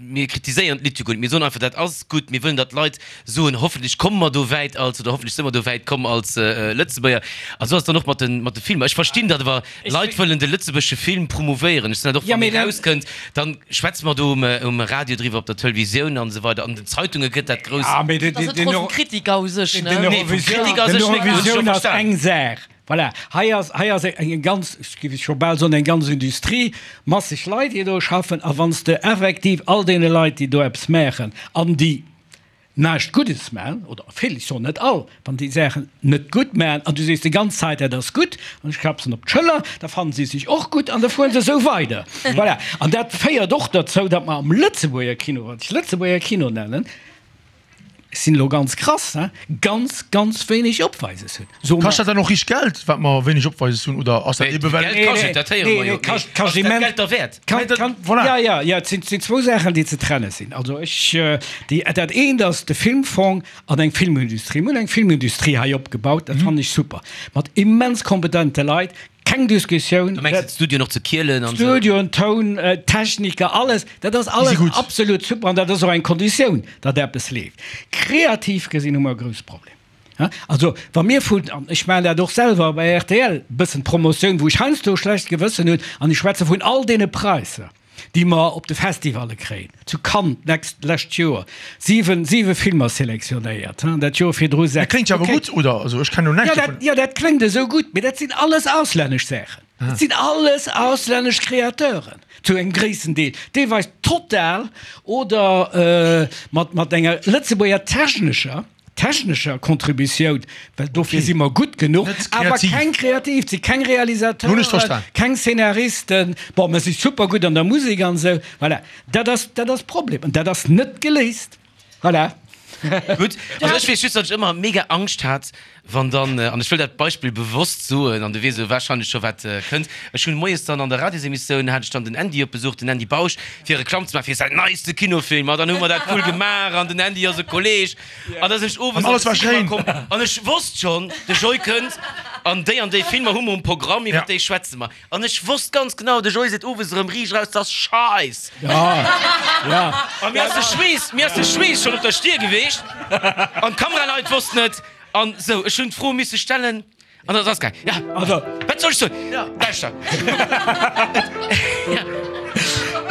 Mir kritiséieren d'Lidd jo guer net, mir soen einfach, dat ass gutt, mir wëllen, datt d'Leit soen, hoffentlech komme mer do wäit als, oder hoffentlech si mer do wäit komm als Lëtzebuerger. A sou ass et dann och mat de, mat de Filmer. Ech verstinn dat awer, Leit wëllen de lëtzebuergesche Film promouvéieren. Ech sinn dat och, wann dee rauskënnt, da schwätze mer do um, um Radio driwwer, op der Televisioun an esou weider, an den Zeitunge gëtt dat grouss. Dat ass net d'Roll vum Kritiker u sech, ne? Nee, vum Kritiker a sech net, dat hunn ech scho Eurovisioun ass verstanen. eng Saach. Voilà, hei ass, hei ass eng ganz, ech géif scho bal soen, eng ganz Industrie, masseg Leit, déi do schaffen. A wann s de effektiv all deene Leit, déi do eppes maachen an déi näischt Guddes maachen, oder vill, ech soen net all, wann déi Saachen net gutt maachen an du sees déi ganz Zäit, dat ass gutt, an ech klapp se op d'Schëller, da fannen si sech och gutt an da fuere se esou weider. Voilà, an dat féiert och derzou, datt mer am Lëtzebuerger Kino, wat ech Lëtzebuerger Kino nennen, Ech sinn elo ganz krass, he, ganz, ganz wéineg Opweises hunn. So Kascht dat dann och richteg Geld, wat mer wéineg Opweises hunn, oder ass dat ebe well. Geld kascht et, dat héiere mer jo. Mee ass dat Geld derwäert? Kann, kann, Voilà. Ja, ja, ja, et sinn, sinn zwou Saachen, déi ze trenne sinn. Also ech, déi, dat eent ass de Filmfong an eng Filmindustrie. Mir hunn eng Filmindustrie hei opgebaut, dat fannen ech super, mat immens kompetente Leit, Keng Diskussioun. Du mengs d'Studioen och zu Kielen an esou? Studioen, Toun, Techniker, alles, dat ass alles absolut super an dat ass och eng Konditioun, datt eppes leeft. Kreativ gesinn hu mer e grousse Problem. Also wa mir vun, an ech maachen dat och selwer bei rtl, e bëssen Promotioun, wou ech heiansdo e schlecht Gewëssen hunn, an ech schwätze vun all deene Präisser, déi mer op de Festivalle kréien, zu Cannes d'nächst, d'lescht Joer, siwen, siwe Filmer selektionéiert, hein, dat Joer virdru Dat sechs. kléngt jo awer Okay. gutt, oder? Also ech kennen elo näischt Ja, dat, dovun. ja, dat kléngt esou gutt, mee dat sinn alles auslännesch Saachen. Dat sinn alles auslännesch Kreateuren, zu engem gréissen Deel, deelweis total oder mat, mat enger Lëtzebuerger technescher. Technescher Contributioun, well dofir si mer gutt genuch, awer keng kreativ, et si keng Realisateuren, keng Szenaristen. Bon, mer si super gutt an der Musek an esou. Voilà, dat ass, dat ass Problem an dat ass net geléist. Voilà. Gutt, also ech weess just, datt ech ëmmer mega Angscht hat, wann dann, an ech wëll dat Beispill bewosst soen, an du weess elo warscheinlech scho wat kënnt, ech hunn moies dann an der Radiosemissioun hat ech dann den Andy op Besuch, den Andy Bausch, fir Reklamm ze maachen fir säin neiste Kinofilm, a dann hu mer dat cool gemaach an den Andy ass e Kolleg, an da sinn ech owes An alles war schéin. komm an ech wosst schonn, de Joy kënnt an déi an déi Filmer hu mer um Programm, iwwer déi schwätze mer. An ech wosst ganz genau, de Joy seet owes erëm riicht eraus, 't ass Scheiss. A mir ass de Schweess, mir ass de Schweess schonn op der Stier geweecht an d'Kameraleit wossten et. An sou, ech hunn d'Fro misse stellen. An dat ass geil. Ja. Also. Wat soll ech soen? Ja. Lauschter. Ja.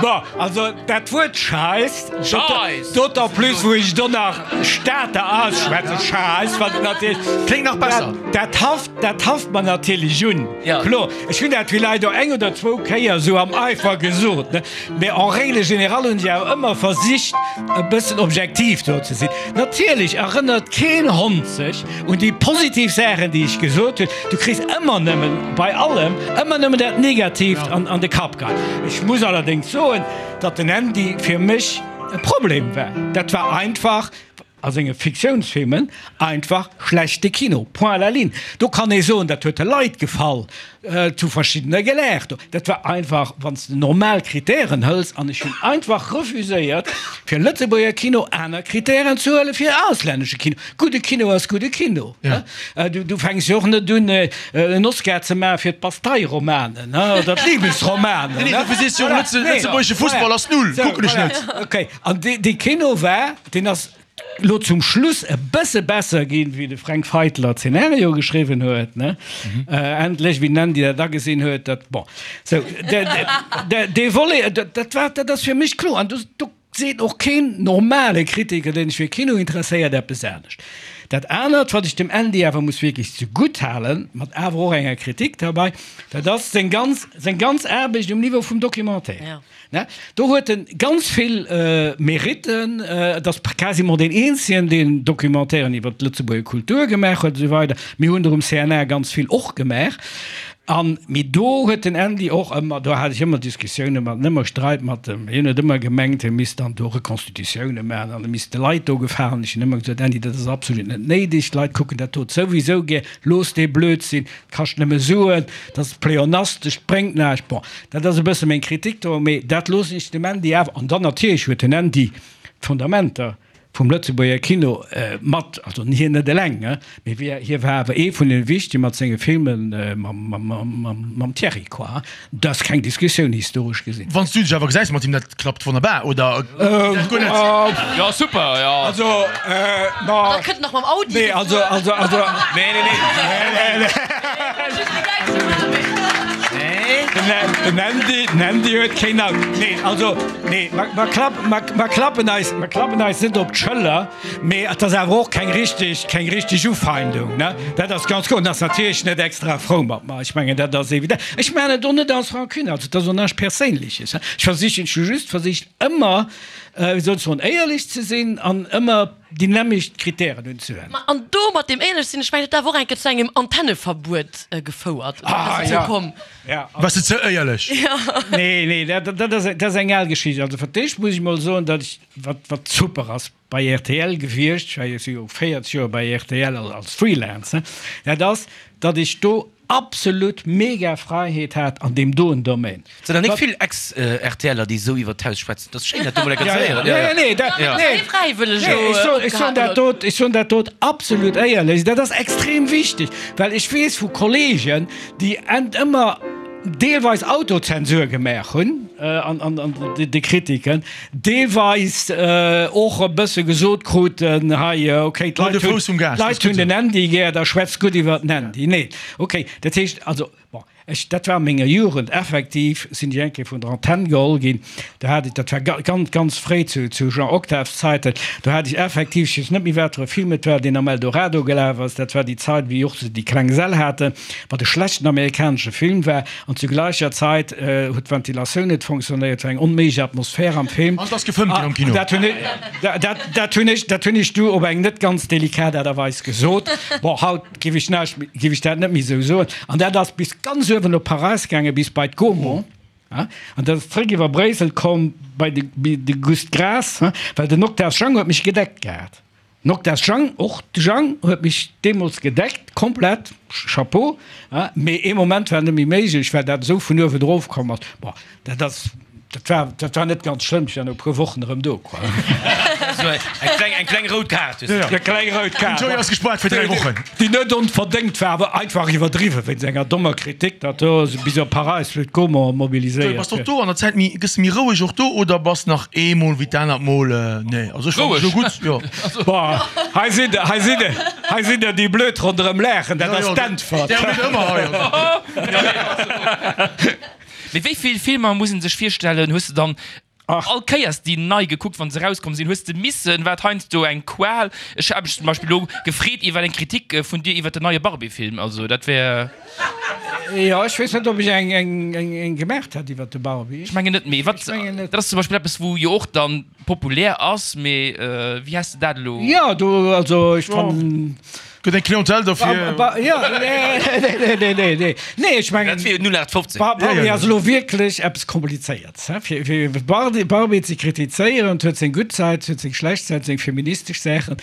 Bon, also dat Wuert Scheiss, Scheiss! D'autant plus wou ech do nach Stater ausschwätzen, Scheiss, wat natierlech. Kléngt nach besser. Dat, dat haft, dat haft mer natierlech un. Ja. Kloer, ech hunn dat villäicht och eng oder zwou Kéier esou am Eifer gesot, ne? Mee en règle générale hunn ech awer ëmmer versicht, e bëssen objektiv do ze sinn. Natierlech erënnert keen Hond sech un déi positiv Saachen, déi ech gesot hunn. Du kriss ëmmer nëmmen, bei allem, ëmmer nëmmen dat Negatiivt an de Kapp geheit. Ech muss allerdéngs soen, datt den Andy fir mech e Problem war. Dat war einfach a senge Fiktiounsfilmen einfach schlechte Kino, point à la ligne. Do kann ee soen, dat huet de Leit gefall, et hu verschiddener gelaacht. Dat war einfach, wann s de normal Kritären hëls, an ech hunn einfach refuséiert, fir Lëtzebuerger Kino aner Kritären ze huele fir auslännesche Kino. Gudde Kino ass gudde Kino. Du fänks jo och net un, en Oscar ze maache fir d'Bastei-Romanen oder d'Libesromanen. Nee, dofir sees du jo och, lëtzebuergesche Fussball ass null, kucken ech net. Okay, an dee Kino war, deen ass lo zum Schluss e bësse besser ginn, wéi de Fränk Feitler d'Szenario geschriwwen huet, ne? Endlech, wéi den Andy dat agesinn huet, dat, bon. Sou, dee Volet, dat war, dat ass fir mech kloer. An do seet och keen normale Kritiker, deen sech fir Kino interesséiert, eppes anescht. Dat anert, wat ech dem Andy awer muss wierklech zegutt halen, mat awer och enger Kritik derbei, dat ass seng ganz, seng ganz Aarbecht um Niveau vum Documentaire. Ne? Do huet en ganz vill Meritten. Et ass quasiment deen eenzegen, deen Documentairen iwwer d'Lëtzebuerger Kultur gemaach huet, esou weider. Mir hunn der um CNA ganz vill och gemaach. An, mee do huet den Andy och ëmmer, do hat ech ëmmer Diskussioune mat en, ëmmer Streit mat em. Hien huet ëmmer gemengt, hie misst dann do Reconstitutioune maachen an e misst de Leit do gefalen. Ech hunn ëmmer gesot, Andy, dat ass absolut net néideg, d'Leit kucken dat dot souwisou gär, looss dee Blödsinn. Kascht nëmme Suen, dat ass pleonastesch, bréngt näischt. Bon, dat ass e bësse meng Kritik do, mee dat loossen ech dem Andy awer. An dann natierlech huet den Andy d'Fundamenter vum Lëtzebuerger Kino mat, also hien net eleng, mee hie war awer ee vun de wichtege mat senge Filme mam Thierry, quoi. Dat ass keng Diskussioun, historesch gesinn. Wann s du dech awer gesäis mat him, dat klappt wonnerbar, oder dat guer net? Jo, super, jo. Also, ma. Da kënnt nach mam Audi. Nee, also, also, also. Nee, nee, nee. Nee, nee. Den Andy, den Andy huet keen Auto. Nee, also, nee, mer, mer, mer klappen eis, mer klappen eis net op d'Schëller. Mee et ass awer och keng richtig, keng richtig Ufeindung, ne? Dat ass ganz kloer. En ass natierlech net extra frou mat mer. Ech mengen, dat ass evident. Ech maachen et och net aus Rancune, also et ass och näischt Perséinleches. Ech versichen, ech hu just versicht ëmmer, wéi soll ech soen, éierlech ze sinn an ëmmer déi nämmlecht Kritären unzewenden. Ma an do mat deem éierlech sinn, ech mengen, dat huet awer och eng Kéier zu engem Antenneverbuet gefouert. Ah, Ass dozou ja. komm. Ja. Waars de ze éierlech? Nee, nee, dat, dat ass, dat ass eng al Geschicht. Also fir d'éischt muss ech mol soen, datt ech, wat, wat super ass bei rtl gewiescht, ech war jo si jo 40 Joer bei rtl als Freelancer, dat ass, datt ech do absolut mega Fräiheet hat an deem doen Domaine. Et sinn der nik vill Ex-RTLer, déi esou iwwer d'Haus schwätzen. Dat ass schéin, dat do mol eng Kéier ze héieren. Ja, ja, nee, dat, nee, nee, ech soen, ech soen dat dot, ech soen dat dot absolut éierlech. Dat ass extrem wichteg, well ech weess vu Kollegen, déi ent ëmmer deelweis Autozensur gemaach hunn an de Kritiken, deelweis och e bësse gesot kruten, hei okay, d'Leit hunn den Andy gär, da schwätzt gutt iwwer den Andy. Nee, okay, dat heescht also, bon, ech, dat war a menger Jugend effektiv, sinn ech eng Kéier vun der Antenn geholl ginn, do hat ech, dat war ganz, ganz fréi zu Jean Octaves Zäiten, do hat ech effektiv, ech weess net méi wat fir e Film et war, deen am Eldorado gelaf ass, dat war déi Zait wéi och se déi kleng Säll haten, wat e schlechten amerikanesche Film war, an zu gleicher Zait huet d'Ventilatioun net fonctionnéiert, et war eng onméiglech Atmosphär am Film. An et ass gefëmmt ginn am Kino. Dat hunn ech, dat hunn ech, dat hunn ech du op eng net ganz delikat Aart a Weis gesot. Bon, haut géif ech näischt méi, géif ech dat net méi esou soen. An dat ass bis ganz uewen op Paräis gaangen, bis bei d'Gaumont. An dat ass zréck iwwer Bréissel komm bei de, bei de Gust Graas, well den Octave Jang huet mech gedeckt gehat. Den Octave Jang, och de Jang huet mech deemools gedeckt, komplett, Chapeau, mee ee Moment war net méi méiglech, well dat esou vun uewen erof komm ass. Bon, dat ass. Dat war, dat war net ganz schlëmm, ech war no e puer Wochen erëm do, quoi. Sou eng kleng, eng kleng rout Kaart hues du kritt. Eng kleng rout Kaart. Den Joy ass gespaart fir 3 Wochen. Déi net onverdéngt war, awer einfach iwwerdriwwen, wéinst enger dommer Kritik, datt do bis op Paräis Luc Gaumont Joy, mobiliséiert bass de och huet. do an der Zäit méi, gëss de méi roueg och do oder bass nach eemol wéi d'anert Mol, nee, also ech fannen Roueg? elo gutt, jo. Boah, hei sinn der, hei sinn der, hei sinn der déi blöd ronderëm laachen, dat Jo, ass jo, d'Äntwert. där huet ëmmer hei, also. Mee wéi vill Filmer muss een sech virstellen, hues de dann all Kéiers déi nei gekuckt, wann se erauskomm sinn? Hues de missen? War et heiansdo eng Qual? Ech hat mech zum Beispill elo gefreet iwwer eng Kritik vun dir iwwer den neie Barbie-Film. Also dat wär. Jo, ech weess net, ob ech eng gemaacht hat iwwer de Barbie. Ech mengen net, mee wat, dat ass zum Beispill eppes, wou jo och dann populär ass, mee wéi häss de dat elo? Jo, do, also ech fannen. Gëtt eng Clientèle dofir? Jo, nee, nee, nee, nee, nee, nee, ech mengen. Dat wier 0815. Barbie ass elo wierklech eppes Komplizéierts, he? Fir, fir Barbie, Barbie ze kritizéieren, et huet seng gutt Säit, et huet seng schlecht Säit, seng feministesch Saachen.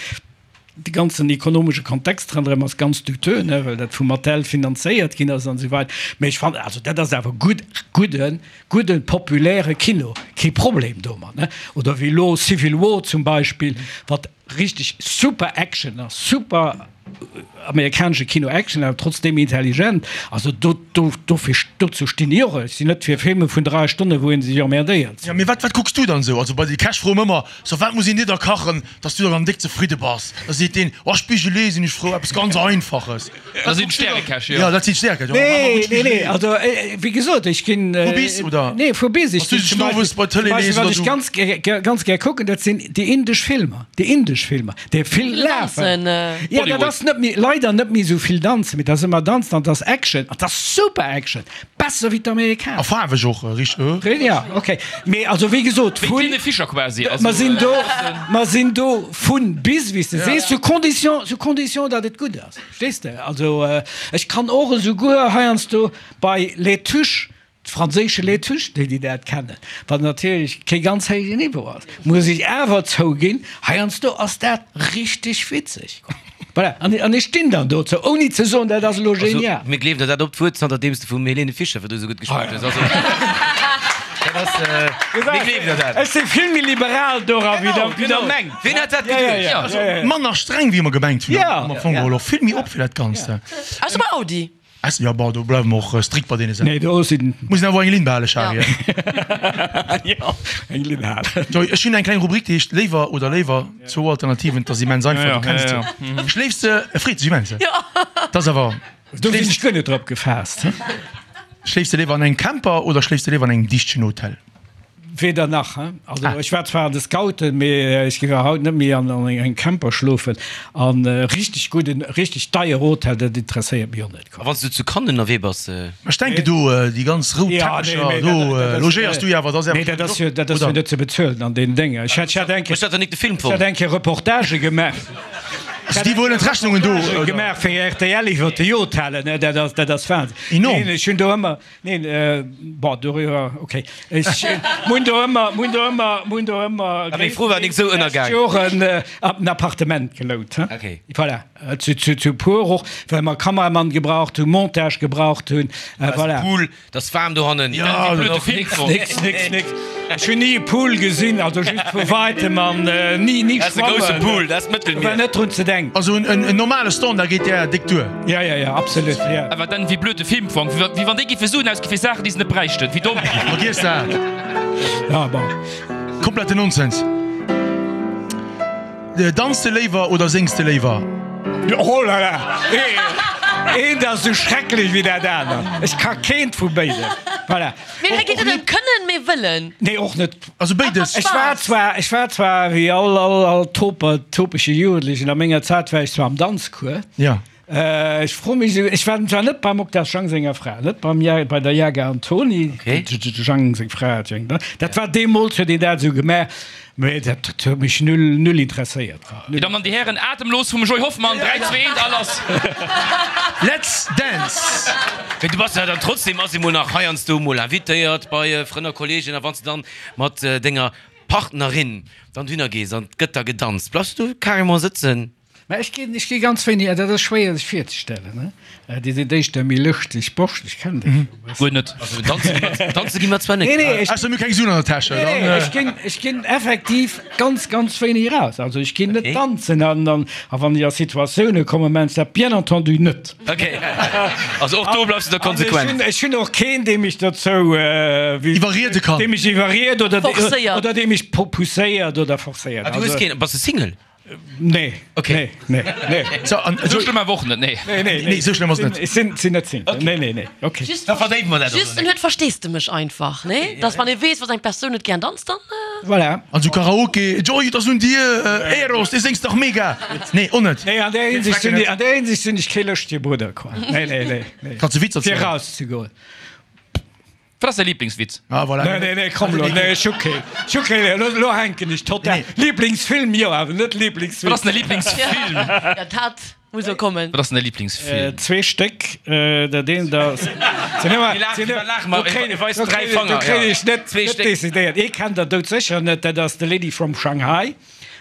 De ganzen ekonomesche Kontext ronderëm ass ganz douteux, ne, well dat vu Mattel finanzéiert ginn ass an esou weider. Mee ech fannen, also dat ass awer gutt, gudden, gudden populäre Kino, kee Problem domat, ne? Oder wéi elo Civil War zum Beispill, wat Richteg super Action ass, super amerikanesche Kino Action, awer trotzdem intelligent. Also do, do, dofir, dozou stinn ech och. Ech sinn net fir Filme vun 3 Stonnen, wou een sech emmerdéiert. Jo, mee wat, wat kucks du dann esou? Also bei de Käch froe mer ëmmer, So, wat muss een dir da kachen, dass du dann déck zefridde bass? Da seet deen, Oh, Spigelé sinn ech frou, eppes ganz Einfaches. Dat sinn d'Stärekäch, jo. Jo, dat sinn d'Stärekäch, jo. Nee, nee, nee, also wéi gesot, ech ginn. Vu bis, oder? Nee, vu bis. Ech Bass du ginn sech zum owes Beispill, bei zum d'Tëlee Beispill lees wat oder ech du? ganz gär, ganz gär kucken, dat sinn déi indesch Filmer, déi indesch Filmer, déi vill lafen. Jo, dat ass net méi, leider net méi esou vill Danzen, mee dat ass ëmmer Danzen an dat ass Action an dat ass super Action, besser wéi d'Amerikaner. A faarweg och, richteg, äh? Ja, okay. Mee also wéi gesot, Wéi vun. d'Lene Fischer quasi, also. Mer sinn do, mer sinn do vun bis, wéi s de sees, sous condition, sous condition, datt et gutt ass. Verstees de? Also ech kann och esouguer heiansdo bei Les Tuches, d'franséische Les Tuches, déi déi dat kennen, wat natierlech kee ganz héijen Niveau ass, muss ech awer zouginn, heiansdo ass dat richteg witzeg. Voilà, an ech stinn dann dozou, ouni ze soen, dat ass elo genial. Also mir gleewen der dat op d'Wuert, zanterdeems de vum Helene Fischer virdru esou gutt geschwat hues. Also dat ass, mir gleewen der dat. Ech si vill méi liberal dora wéi der mengt. Ween hätt dat geduecht? Also manner streng wéi mer gemengt hunn am Fong geholl, och vill méi op fir dat Ganzt. Ausser bei Audi. Jo, bon, do bleiwe mer och strikt bei deene Saachen. Nee, do sinn. Muss een awer eng Linn behalen, Charly. Jo, eng Linn halen. Joy, ech hunn eng kleng Rubrik, déi heescht Léiwer oder léiwer, zwou Alternativen, dat ass immens einfach, du kenns se. Schléifs de, e freet sech immens, dat ass awer. Do sinn ech guer net drop gefaasst. Schléifs de léiwer an engem Camper oder schléifs de léiwer an engem dichtegen Hotel? Weder nach. Also ech war zwar an de Scouten, mee ech géif awer haut net méi an engem Camper schlofen. An richteg gudden, richteg deier Hotel, dat interesséiert mech och net. A wann s du zu Cannes ënnerwee bass? Ech denken do déi ganz rout Teppecher, do logéiers du jo awer, dat ass Nee, dat ass jo, dat ass jo net ze bezuelen an deenen Dénger. Ech hat eng Hues dat dann nik de Film Kéier, ech hat eng Kéier Reportagë gemaach. Also déi huelen d'Rechnungen do, oder? Gemaach fir rtl iwwer déi Hotellen, dat ass, dat ass Wahnsinn. Enorm. Ech hunn do ëmmer. Neen, bon, doriwwer, ok. Ech hunn do ëmmer, hunn do ëmmer, hunn do ëmmer Ah, meng Fro war nik esou ënnergaang. Joren en Appartement gelout, hein. Ok. Voilà, zu, zu, zu puer och, well mer Kameramann gebraucht hunn, Montage gebraucht hunn, voilà. Pool, 't ass waarm dohannen. Ja, Nix, nix, nix, nix. Ech hunn ni e Pool gesinn, also just vu weitem an ni, ni Dat ass e grousse schwammen. Pool, dat ass d'Mëttelmier. War net drun ze denken. Also en normale Standard geet där déck duer. Ja, ja, ja, absolut, ja. Awer dann, wéi blöd de Film fong, wéi wann déi géife Suen ausgi fir Saachen, déi se net bräichten. Wéi domm! Vergiess dat! Ja, bon. Kompletten Nonsens. Danz de léiwer oder séngs de léiwer? Oh la la! Eent ass esou schrecklech wéi dat anert. Ech ka keent vu béidem. Voilà. Mee hei geet et net ëm kënnen, mee wëllen. Nee, och net. Also béides. Ech war zwar, ech war zwar wéi all, all, all toper, topege Jugendlechen a menger Zäit war ech zwar am Danzcours. Ja. Ech froe mech esou, ech war zwar net beim Octave Jang senger Fra, net beim Ja, bei der Jaga Antoni, Okay. de Jang seng Fra hat jo eng, dat war deemools huet een dat esou gemaach, mee dat huet mech null, null interesséiert. Dir Dammen an Dir Hären, Atemlos vum Joy Hoffmann, 3, 2, 1 a lass! Let's dance! Mee du bass jo dann trotzdem ass emol nach heiansdo mol invitéiert bei Frënn a Kollegen a wann s de dann mat denger Partnerin dann dohinner gees an 't gëtt da gedanzt, bleifs du carrément sëtzen? Mä ech ginn, ech gi ganz wéini, dat ass schwéier sech virzestellen, ne? Dir sidd éischter méi lëschteg Borscht, ech kennen dech jo e bëssen. Guer net. Also danze gi mer, danze gi mer zwar net. Nee, nee, ech. Ausser mir hu keng Suen an der Täsche, Nee, nee, dann. ech ginn, ech ginn effektiv ganz, ganz wéini eraus. Also ech ginn net Okay. danzen an, an, a wann ech a Situatioune kommen, maachen ech dat bien entendu net. Okay. Also och do bleifs du da konsequent. An ech hunn, ech hunn och keen, dee mech dozou, wéi. Iwwerriede kann. Dee mech iwwerried oder, Forcéiert. oder dee mech pousséiert oder forcéiert. Ah, du hues keen, bass de Single? Nee. Okay. Nee, nee, nee. So, an, Esou schlëmm awer och net, nee. Nee, nee, Nee, esou schlëmm ass et net. Ech sinn, sinn net Single. Nee, nee, nee. Okay. Just, Da verdéiwe mer dat och just net. en huet Versteesdemech einfach, nee? Dass wann ee weess, dass eng Persoun net gären danzt, dann. Voilà. An sou Karaoke, Joy, et ass un dir, Eros, dee séngs dach mega! Nee, och net. Nee, an där Hinsicht sinn, an där Hinsicht sinn ech kee lëschtege Brudder, quoi. Nee, nee, nee, nee. Kanns de Witzer Fir zielen? erauszegoen. Wat ass däi Lieblingswitz? Ah, voilà. Nee, nee, nee, komm lo, nee, ech hu keen. Ech hu keen, elo, elo hänken ech total. Lieblingsfilm, jo, awer net Lieblingswitz. Wat ass denn däi Lieblingsfilm? Ja, dat muss och kommen. Wat ass denn däi Lieblingsfilm? Zwee Stéck, dat eent ass. Sinn ëmmer, sinn ëmmer, Laache mer, do kréien, weist do dräi kréien, do Fanger, kréien ja. ech net, Zwee net Stéck. decidéiert. Ee kennt der doudsécher net, dat ass The Lady from Shanghai.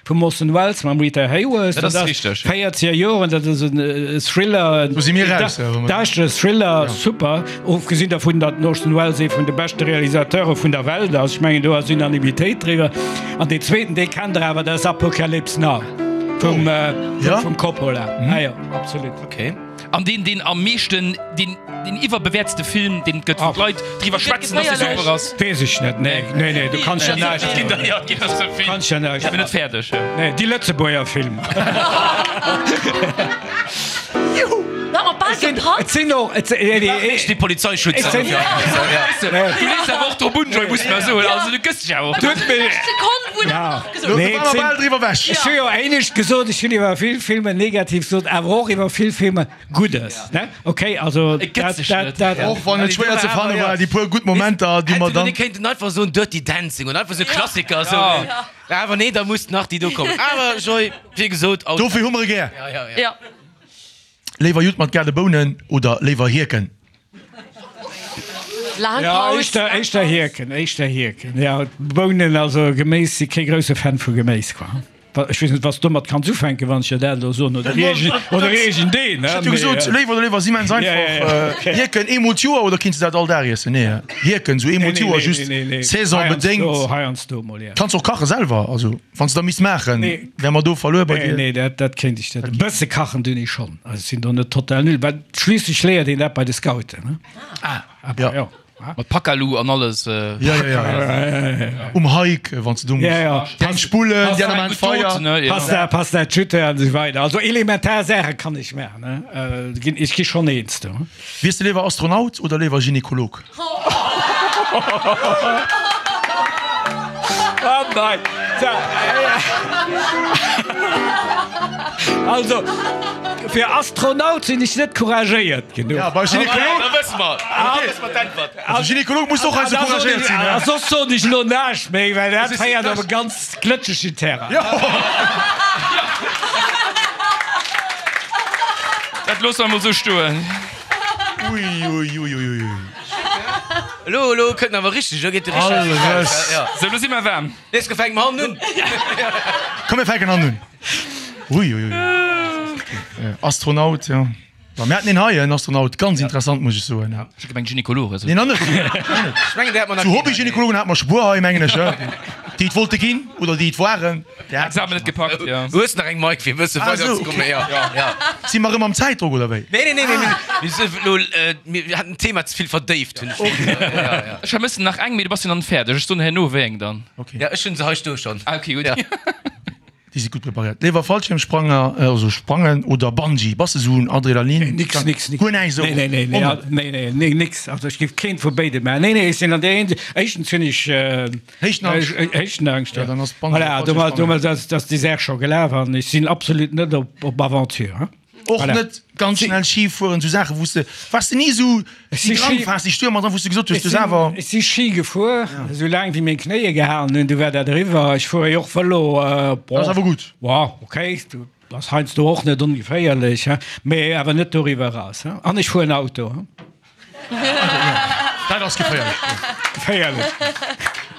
Vum Orson Welles mam Rita Hayworth. Dat ass richteg. 40er Joren, dat ass en Thriller, Do si mir raus, ja, wa mer- däischtere Thriller, super. Ofgesinn dervun, datt den Orson Welles ee vun de beschte Realisateure vun der Welt ass. Ech mengen, do ass Unanimitéit driwwer. An deen zweeten, dee kennt der awer, dat ass Apocalypse Now vum, Ja? vum Coppola. Ah jo, absolut. Okay. An deen, deen am meeschten, deen, deen iwwerbewäertste Film, deen et gëtt, wou d'Leit driwwer schwätzen, dass dee super ass. Weess ech net, nee, nee, nee, du kanns jo näischt. Et ginn der, jo, et ginn der sou vill. Kanns jo näischt. Ech bin net fäerdeg, jo. Nee, déi Lëtzebuerger Filmer. Juhu! Da mat bal gepackt. Et sinn och, et sinn, nee, nee, Echt déi Polizeischutz. Et sinn, Du lees awer och drop un, Joy, muss mer soen. Also du gëss dech awer och. Du hues mech. Sekonn, wou en Ja. nach gesot Do Nee, war mer et bal sinn, driwwer weg. ech hu jo éinescht gesot, ech hunn iwwer vill Filmer negativ gesot, awer och iwwer vill Filmer Guddes, ne? Ok, also Et gëtt dat, sech dat, net. dat. Och wann et schwéier ze fanne war, déi puer gutt Momenter, déi mer dann. Mir kéinten einfach soen Dirty Dancing und einfach sou Klassiker sou. Ja. Awer nee, da muss nach déi do kommen. Awer Joy, wéi gesot, Auto. Dofir hu mer e gär. Ja, ja, ja. Ja. Léiwer Judd mat gale Bounen oder léiwer Hierken? Laang Ja, Paus. éischter, éischter Hierken, éischter Hierken. Ja, Bounen, also Geméis, si kee grousse Fan vu Geméis, quoi. Ech weess net, wat s de domat kanns ufänken, wann ech der dat elo soen, oder oder iergendeen, Ech hätt jo gesot, léiwer oder léiwer ass immens einfach. Hierken eemol d'Joer oder kinns de dat all Dag iessen? Nee, Hierken sou eemol d'Joer, just saisonbedéngt. Heiansdo mol, ja. Kanns och kache selwer, also wann s de da misst maachen, wäre mer do verluer bei dir. Nee, nee, dat kéint ech net. E bësse kachen dun ech schonn, also ech sinn do net total nul, well schliisslech léiert een dat bei de Scouten, ne? Ah, ja. Mat Pakalu an alles. Ja, ja, ja. Um Hike, wann s de do muss Ja, ja. eng spullen, déi aner maachen d'Feier. Pasta, Pasta, Tüte an esou weider. Also elementar Saache kann ech maachen, ne? Ginn, ech gi schonn eens do. Wiers de léiwer Astronaut oder léiwer Gynekolog? Oh nein! Also, fir Astronaut sinn ech net couragéiert genuch. Ja, bei Gynekolog. Da wësse mer, da wësse mer d'Äntwert. Also Gynekolog muss och eise couragéiert sinn. A soss soen ech elo näischt méi, well dat féiert op e ganz glëtschegen Terrain. Dat loosse mer emol esou stoen. Ui, ui, ui, ui, ui. Elo, elo kënnt en awer richteg, elo geet de richteg. Alles. Ja. Sou, elo si mer waarm. Nees gefänkt mer hannen un. Komm, mir fänken hannen un. Ui, ui, ui. Astronaut, jo. Ma mir haten een hei, en Astronaut, ganz interessant, muss ech soen. Ech hat gemengt Gynekolog. Nee, nach net. Ech mengen, déi hat mer nach Zu keen hei. Hobby-Gynekologen hate mer scho puer hei, mengen ech, déi et wollte ginn oder déi et waren. Déi hate Examen net gepackt, jo. Du hues nach eng Mike, fir e bësse Ah, esou, weiderzekommen. okay. Ja, ja. Si mer erëm am Zäitdrock, oder wéi? Nee, nee, nee, nee, nee. Mir si elo, mir haten d'Thema ze vill verdéift, hunn ech d'Gefill. Ja, ja. Ech vermëssen nach eng, mee du bass jo dann fäerdeg. Ech soen herno wéi eng dann. Okay. Ja, ech hunn se hei stoe schonn. Ah, okay, gutt. Ja. Déi si gutt preparéiert. Léiwer Fallschiermspranger, also sprangen oder Bungee? Bass de sou en Adrenalin? Nix, nix, nix. Guer näischt esou? Nee, nee, nee, nee, nee, nee, nix. Also ech géif keent vu béide maachen. Nee, nee, ech sinn an där Hinsicht, éischtens hunn ech Héichtenangscht. Héichtenangscht, Ja, dann ass Bungee Voilà, domat, domat ass, ass déi Saach scho gelaf an ech sinn absolut net op, op Aventure, hein. Och Voilà. net ganz schnell Ski fueren, sou Saachen, wou s de, waars de ni sou si déi Ski- Drangphas, déi Stürmer dran, wou s de gesot hues, Ech du sinn, awer. ech si Ski gefuer, esou laang wéi meng Knéie gehalen hunn, du war dat eriwwer. Ech fuere jo och Vëlo, Dat ass awer gutt. Bon, okay, du ass heiansdo och net ongeféierlech, hein, mee awer net doriwwer eraus, hein. An ech fueren Auto, hein. Dat ass geféierlech. Geféierlech.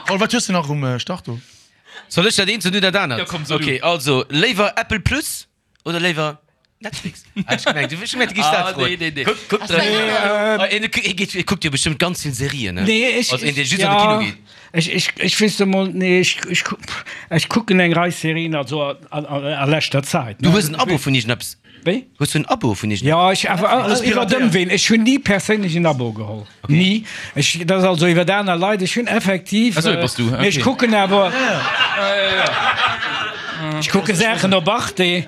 Paul, wat hues de nach um Start do? Soll ech dat eent soen, du dat anert? Jo, komm, so du. Okay, also, léiwer Apple Plus. Oder léiwer Netflix? Ah, ech gemengt, ech gemengt, du giffs dat Ah, froen. nee, nee, nee. Kuck, kuck, Ass dat äh, een, ee geet, ee kuckt jo bestëmmt ganz vill Serien, ne? Nee, ech, Als een, dee ech, just an de Kino ja, geet. ech, ech, ech weess emol, nee, ech, ech, ech kucken eng Rei Serien, also a, a, a leschter Zäit, Du ne? hues en Abo vun iergendeppes? Wéi? Hues du en Abo vun iergendeppes? Ja, ech awer Alles iwwer piratéiert. Ëmween. Ech hunn ni perséinlech en Abo geholl. Ni. Ech, dat ass also iwwer aner Leit. Ech hunn effektiv, Ah, sou ee bass du, mee ech okay. kucken awer, ech kucke Saachen op Arte.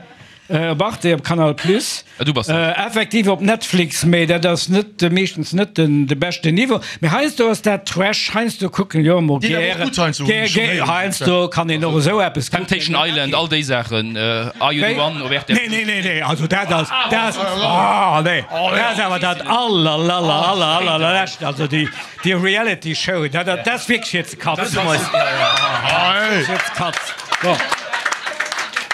Op Arte, op Canal Plus, Ah, du bass dat. effektiv op Netflix, mee dat ass net, meeschtens net den de beschten Niveau. Mee heiansdo ass dat Trash, heiansdo kucken jo emol Déi awer och gären, gutt heiansdo, hunn ech schonn héieren. heiansdo kann een och esou eppes kucken. Temptation Island, all déi Saachen, Are You the One op rtl. Nee, nee, nee, nee, also dat ass, dat ass, oh nee, dat ass awer dat allerlallerallerallerlescht, also déi, déi Reality Show, dat, dat ass wierklech fir ze katzen. Fir ze katzen. Bon.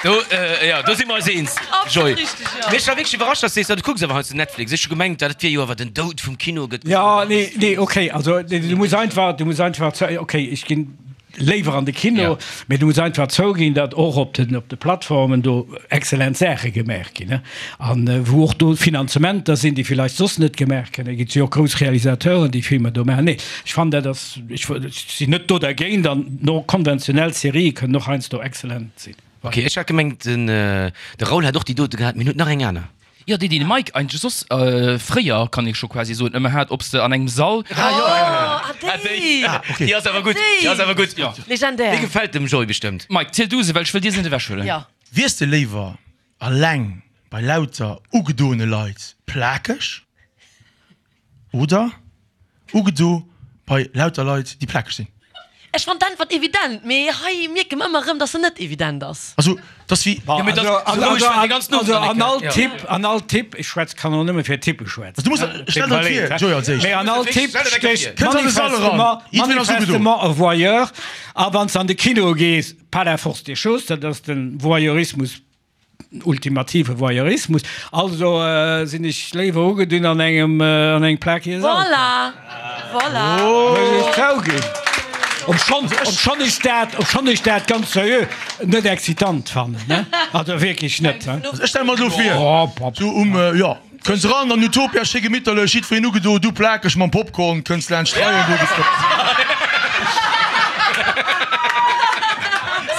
Do, jo, do si mer eis eens, Joy. Absolut richteg, jo. Mee ech war wierklech iwwerrascht, dass du sees, du kucks awer heiansdo Netflix. Ech hu gemengt, dat wier jo awer den Doud vum Kino, gëtt gesot. Jo, nee, nee, okay, also du muss einfach, du muss einfach, okay, ech ginn léiwer an de Kino, mee du muss einfach zouginn, datt och op den, op de Plattformen do excellent Saache gemaach ginn, ne, an wou och do Finanzementer sinn, déi villäicht soss net gemaach kënne ginn. Et si jo och grouss Realisateuren, déi Filmer do maachen. Nee, ech fannen, dat ass, ech sinn net do dergéint an no konventionell Serië kënnen och heiansdo excellent sinn. Ok, ech hat gemengt den de Raoul hätt och déi dote gehat, mee en huet nach eng aner. Jo, déi déi de Mike eigentlech soss fréier, kann ee scho quasi soen, ëmmer hat, ob s de an engem Sall. Ah jo, Ah déi! Ah ok, déi ass awer gutt, déi ass awer gutt. Jo. Legendär. Déi gefält dem Joy bestëmmt. Mike, ziel du se, well ech wëll dir se net ewechhuelen. Jo. Wiers de léiwer alleng bei lauter ugedoene Leit plakeg oder Ugedo bei lauter Leit déi plakeg sinn. Ech fann d'Äntwert evident, mee hei mierke mer ëmmer erëm, dass se net evident ass. Also et ass wéi. Jo, mee dat ass roueg, well déi ganz Also an all Ja. Typ, an all Typ, ech schwätz, kann och nëmme fir Typpe schwätzen. Also du muss, stell der vir, Joy als éischt. Mee an all Typ Stell der stécht Kënns an de Sall eran, manifestement, jiddwereen ass ugedo. manifestement e Voyeur. A wann s de an de Kino gees, par la force des choses, dat ass de Voyeurismus Ultimative Voyeurismus. Also sinn ech léiwer ugedunn an engem an engem plakige Sall. Voilà! Voilà! Muss ech zouginn. Obschonn, obschonn ech dat, obschonn ech dat ganz seriö net excitant fannen, ne? Also wierklech net, he? Also ech stelle mer elo vir, sou um, jo, kënns eran an Utopia, schéi gemitterlech, jiddwereen ugedo, du plakeg mam Popcorn, kënns laanscht d'Reien, do gëtt.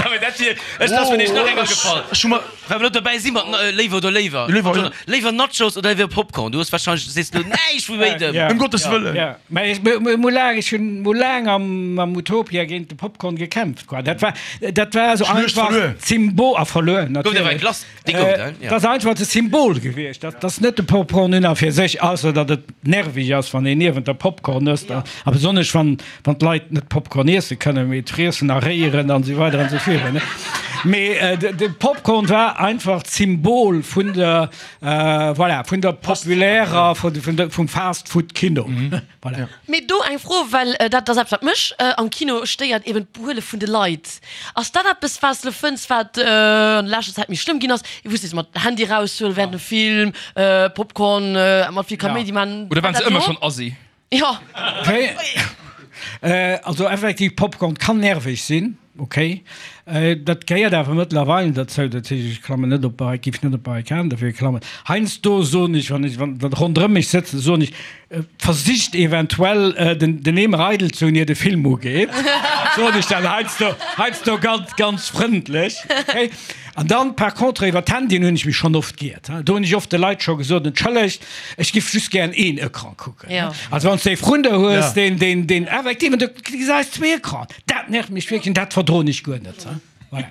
Sorry, dat wier. Ech ass mir nämlech nach enger gefall. Ech hu mer. Well mer lo dobäi si mat léiwer oder léiwer. Léiwer, ja. Léiwer Nachos oder léiwer Popcorn? Du hues wahrscheinlech, sees lo näischt vu béidem. Ëm Gottes Wëllen. Ja, mä ech hu laang, ech hunn mol laang am am Utopia géint de Popcorn gekämpft, quoi. Dat war, dat war esou Schluecht einfach verluer. d'Symbol, a verluer, Gouf et awer eng natierlech. Glace, déi gouf et, hein? Dat ass einfach de Symbol gewiescht. Dat ass net de Popcorn un a fir sech, ausser datt et nerveg ass, wann een niewent der Popcorn ësst, a besonnesch wann Wann d'Leit net Popcorn iesse kënnen, mee et friessen a réieren an esou weider an esou virun. Mee de Popcorn war einfach d'Symbol vun der, voilà, vun der populärer, vum Fast-Food-Kino. Voilà. Mee do eng Fro, well dat ass eppes, wat mech am Kino stéiert, eben d'Behuele vun de Leit. Ass dat eppes, wat s de fënns, wat an der leschter Zäit méi schlëmm ginn ass? Wou s de mat Handy eraushuelen während dem Film, Popcorn mat vill Kaméidi man. Oder waren se ëmmer schonn assi? Jo. Also effektiv, Popcorn kann nerveg sinn, ok. Dat gehéiert awer mëttlerweil derzou. Dat heescht, ech klammen net op d'Barrik, géif net op d'Barrikaden dofir klammen. Heiansdo soen ech, wann ech, wann der ronderëm mech sëtzen, soen ech, versicht eventuell den, den Eemer eidel ze hunn, ier de Film ugeet. Soen ech dann heiansdo, heiansdo ganz, ganz frëndlech, ok. An dann par contre iwwer d'Handyen hunn ech mech schonn oft giert. Do hunn ech oft de Leit scho gesot, entschëllegt, ech giff just gären een Ecran kucken. Ja. Also wann s de ee vrun der hues, Ja. deen, deen, deen effektiv, an du gesäis zwee Ecran, dat nervt mech wierklech an dat verdroen ech guer net. Voilà.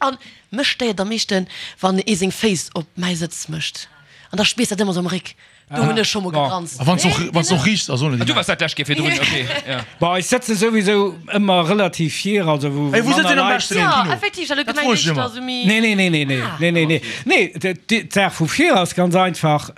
An mech stéiert am meeschten, wann ee seng Féiss op mäi Sëtz mécht. An da spiers dat ëmmer sou am Réck. Do hunn ech scho mol gegranzt. A wann s och, wann s och riichts ass, ohne Ah, déi du waars dat lescht Kéier virdrun, ok, ja. Bon, ech sëtze souwisou ëmmer relativ vir, also wou Ey, wou manner sëtzt een am Leit beschten am Ja, Kino? effektiv, ech hat elo Dat gemengt, froe ech éischter ëmmer. sou méi. Nee, nee, nee, nee, nee, nee, nee, nee. Nee, d'Saach vu vir ass ganz einfach,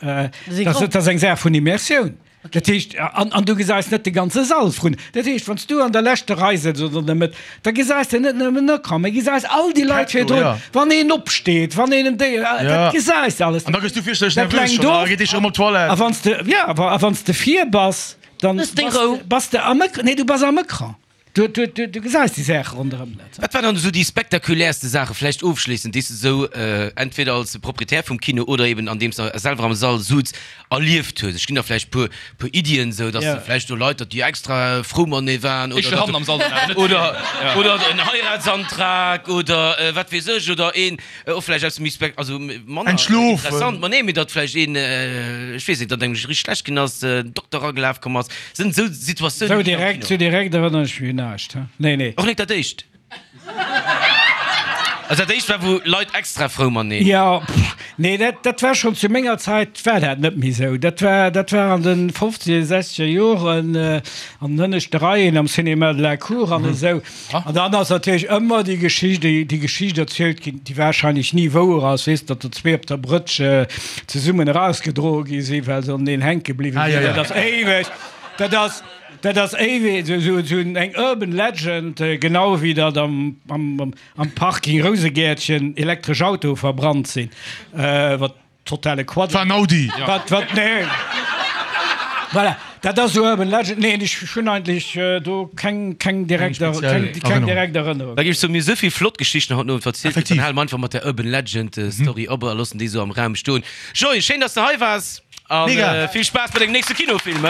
Si dat ass eng Saach vun Immersioun. Dat heescht, an, an du gesäis net de ganze Sall vrun. Dat heescht, wann s du an der leschter Rei sëtz oder an der Mëtt, da gesäis de net nëmmen en Ecran, mee gesäis all déi Leit virdrun, wann een opsteet, wann een en Déi, dat gesäis de alles. An da gëss du fierchterlech Dat nervös lenkt schonn, a of. geet dee scho rëm op d'Toilette. A wann s de, ja, a wann s de vir bass, dann Hues deng bass Rou. de, bass de am Ecran, nee, du bass am Ecran. Du, du, du, du gesäis déi Saache ronderëm net. Wat waren dann esou déi spektakuläerste Saache, vläicht ofschléissend, déi s de esou entweder als Proprietär vum Kino oder eben andeems de selwer am Sall sutz, erlieft hues? Ech ginn der vläicht puer, puer Iddien, esou datt de vläicht do Leit, datt déi extra frou matenee waren oder datt am Sall dann awer net. Oder, oder en Heiratsantrag oder wat weess ech oder een och vläicht eppes méi spek, also manner interessant, ma nee, mee datt vläicht een, ech weess net, datt engem richteg schlecht ginn ass, den Dokter eragelaf komm ass. Sinn esou Situatiounen Sou direkt, sou direkt erënneren ech mech un näischt, he? Nee, nee. Och net dat éischt? Also dat éischt war wou Leit extra frou mateneen. Jo, pff, nee, dat, dat war schonn zu menger Zäit war dat net méi sou. Dat war, dat war an de fofzeger, sechzeger Joren, an den hënneschte Reien am Cinéma de la Cour an esou. An dann ass natierlech ëmmer déi Geschicht, déi, déi Geschicht erzielt ginn, déi wahrscheinlech ni wouer ass, weess, datt der zwee op der Brëtsch zesummen erausgedroe gi sinn, well se aneneen hänke bliwwe sinn. Dat ass éiweg, dat ass, dat ass éiweg esou, esou eng urban legend, genau wéi datt am, am, am Parking Rousegäertchen elektresch Autoe verbrannt sinn, wat Totale Quatsch. War en Audi. Wat, wat, nee. Voilà, dat ass esou Urban Legend. Neen, ech hunn eigentlech do keng, keng direkt, keng, keng direkt Erënnerung. Da géif ech soen, mir hu souvill flott Geschichten haut den Owend verzielt, dann hale mer einfach mat der Urban Legend Story op a loossen déi esou am Raum stoen. Joy, schéin, dass de hei waars a vill Spaass bei dengem nächste Kinofilm.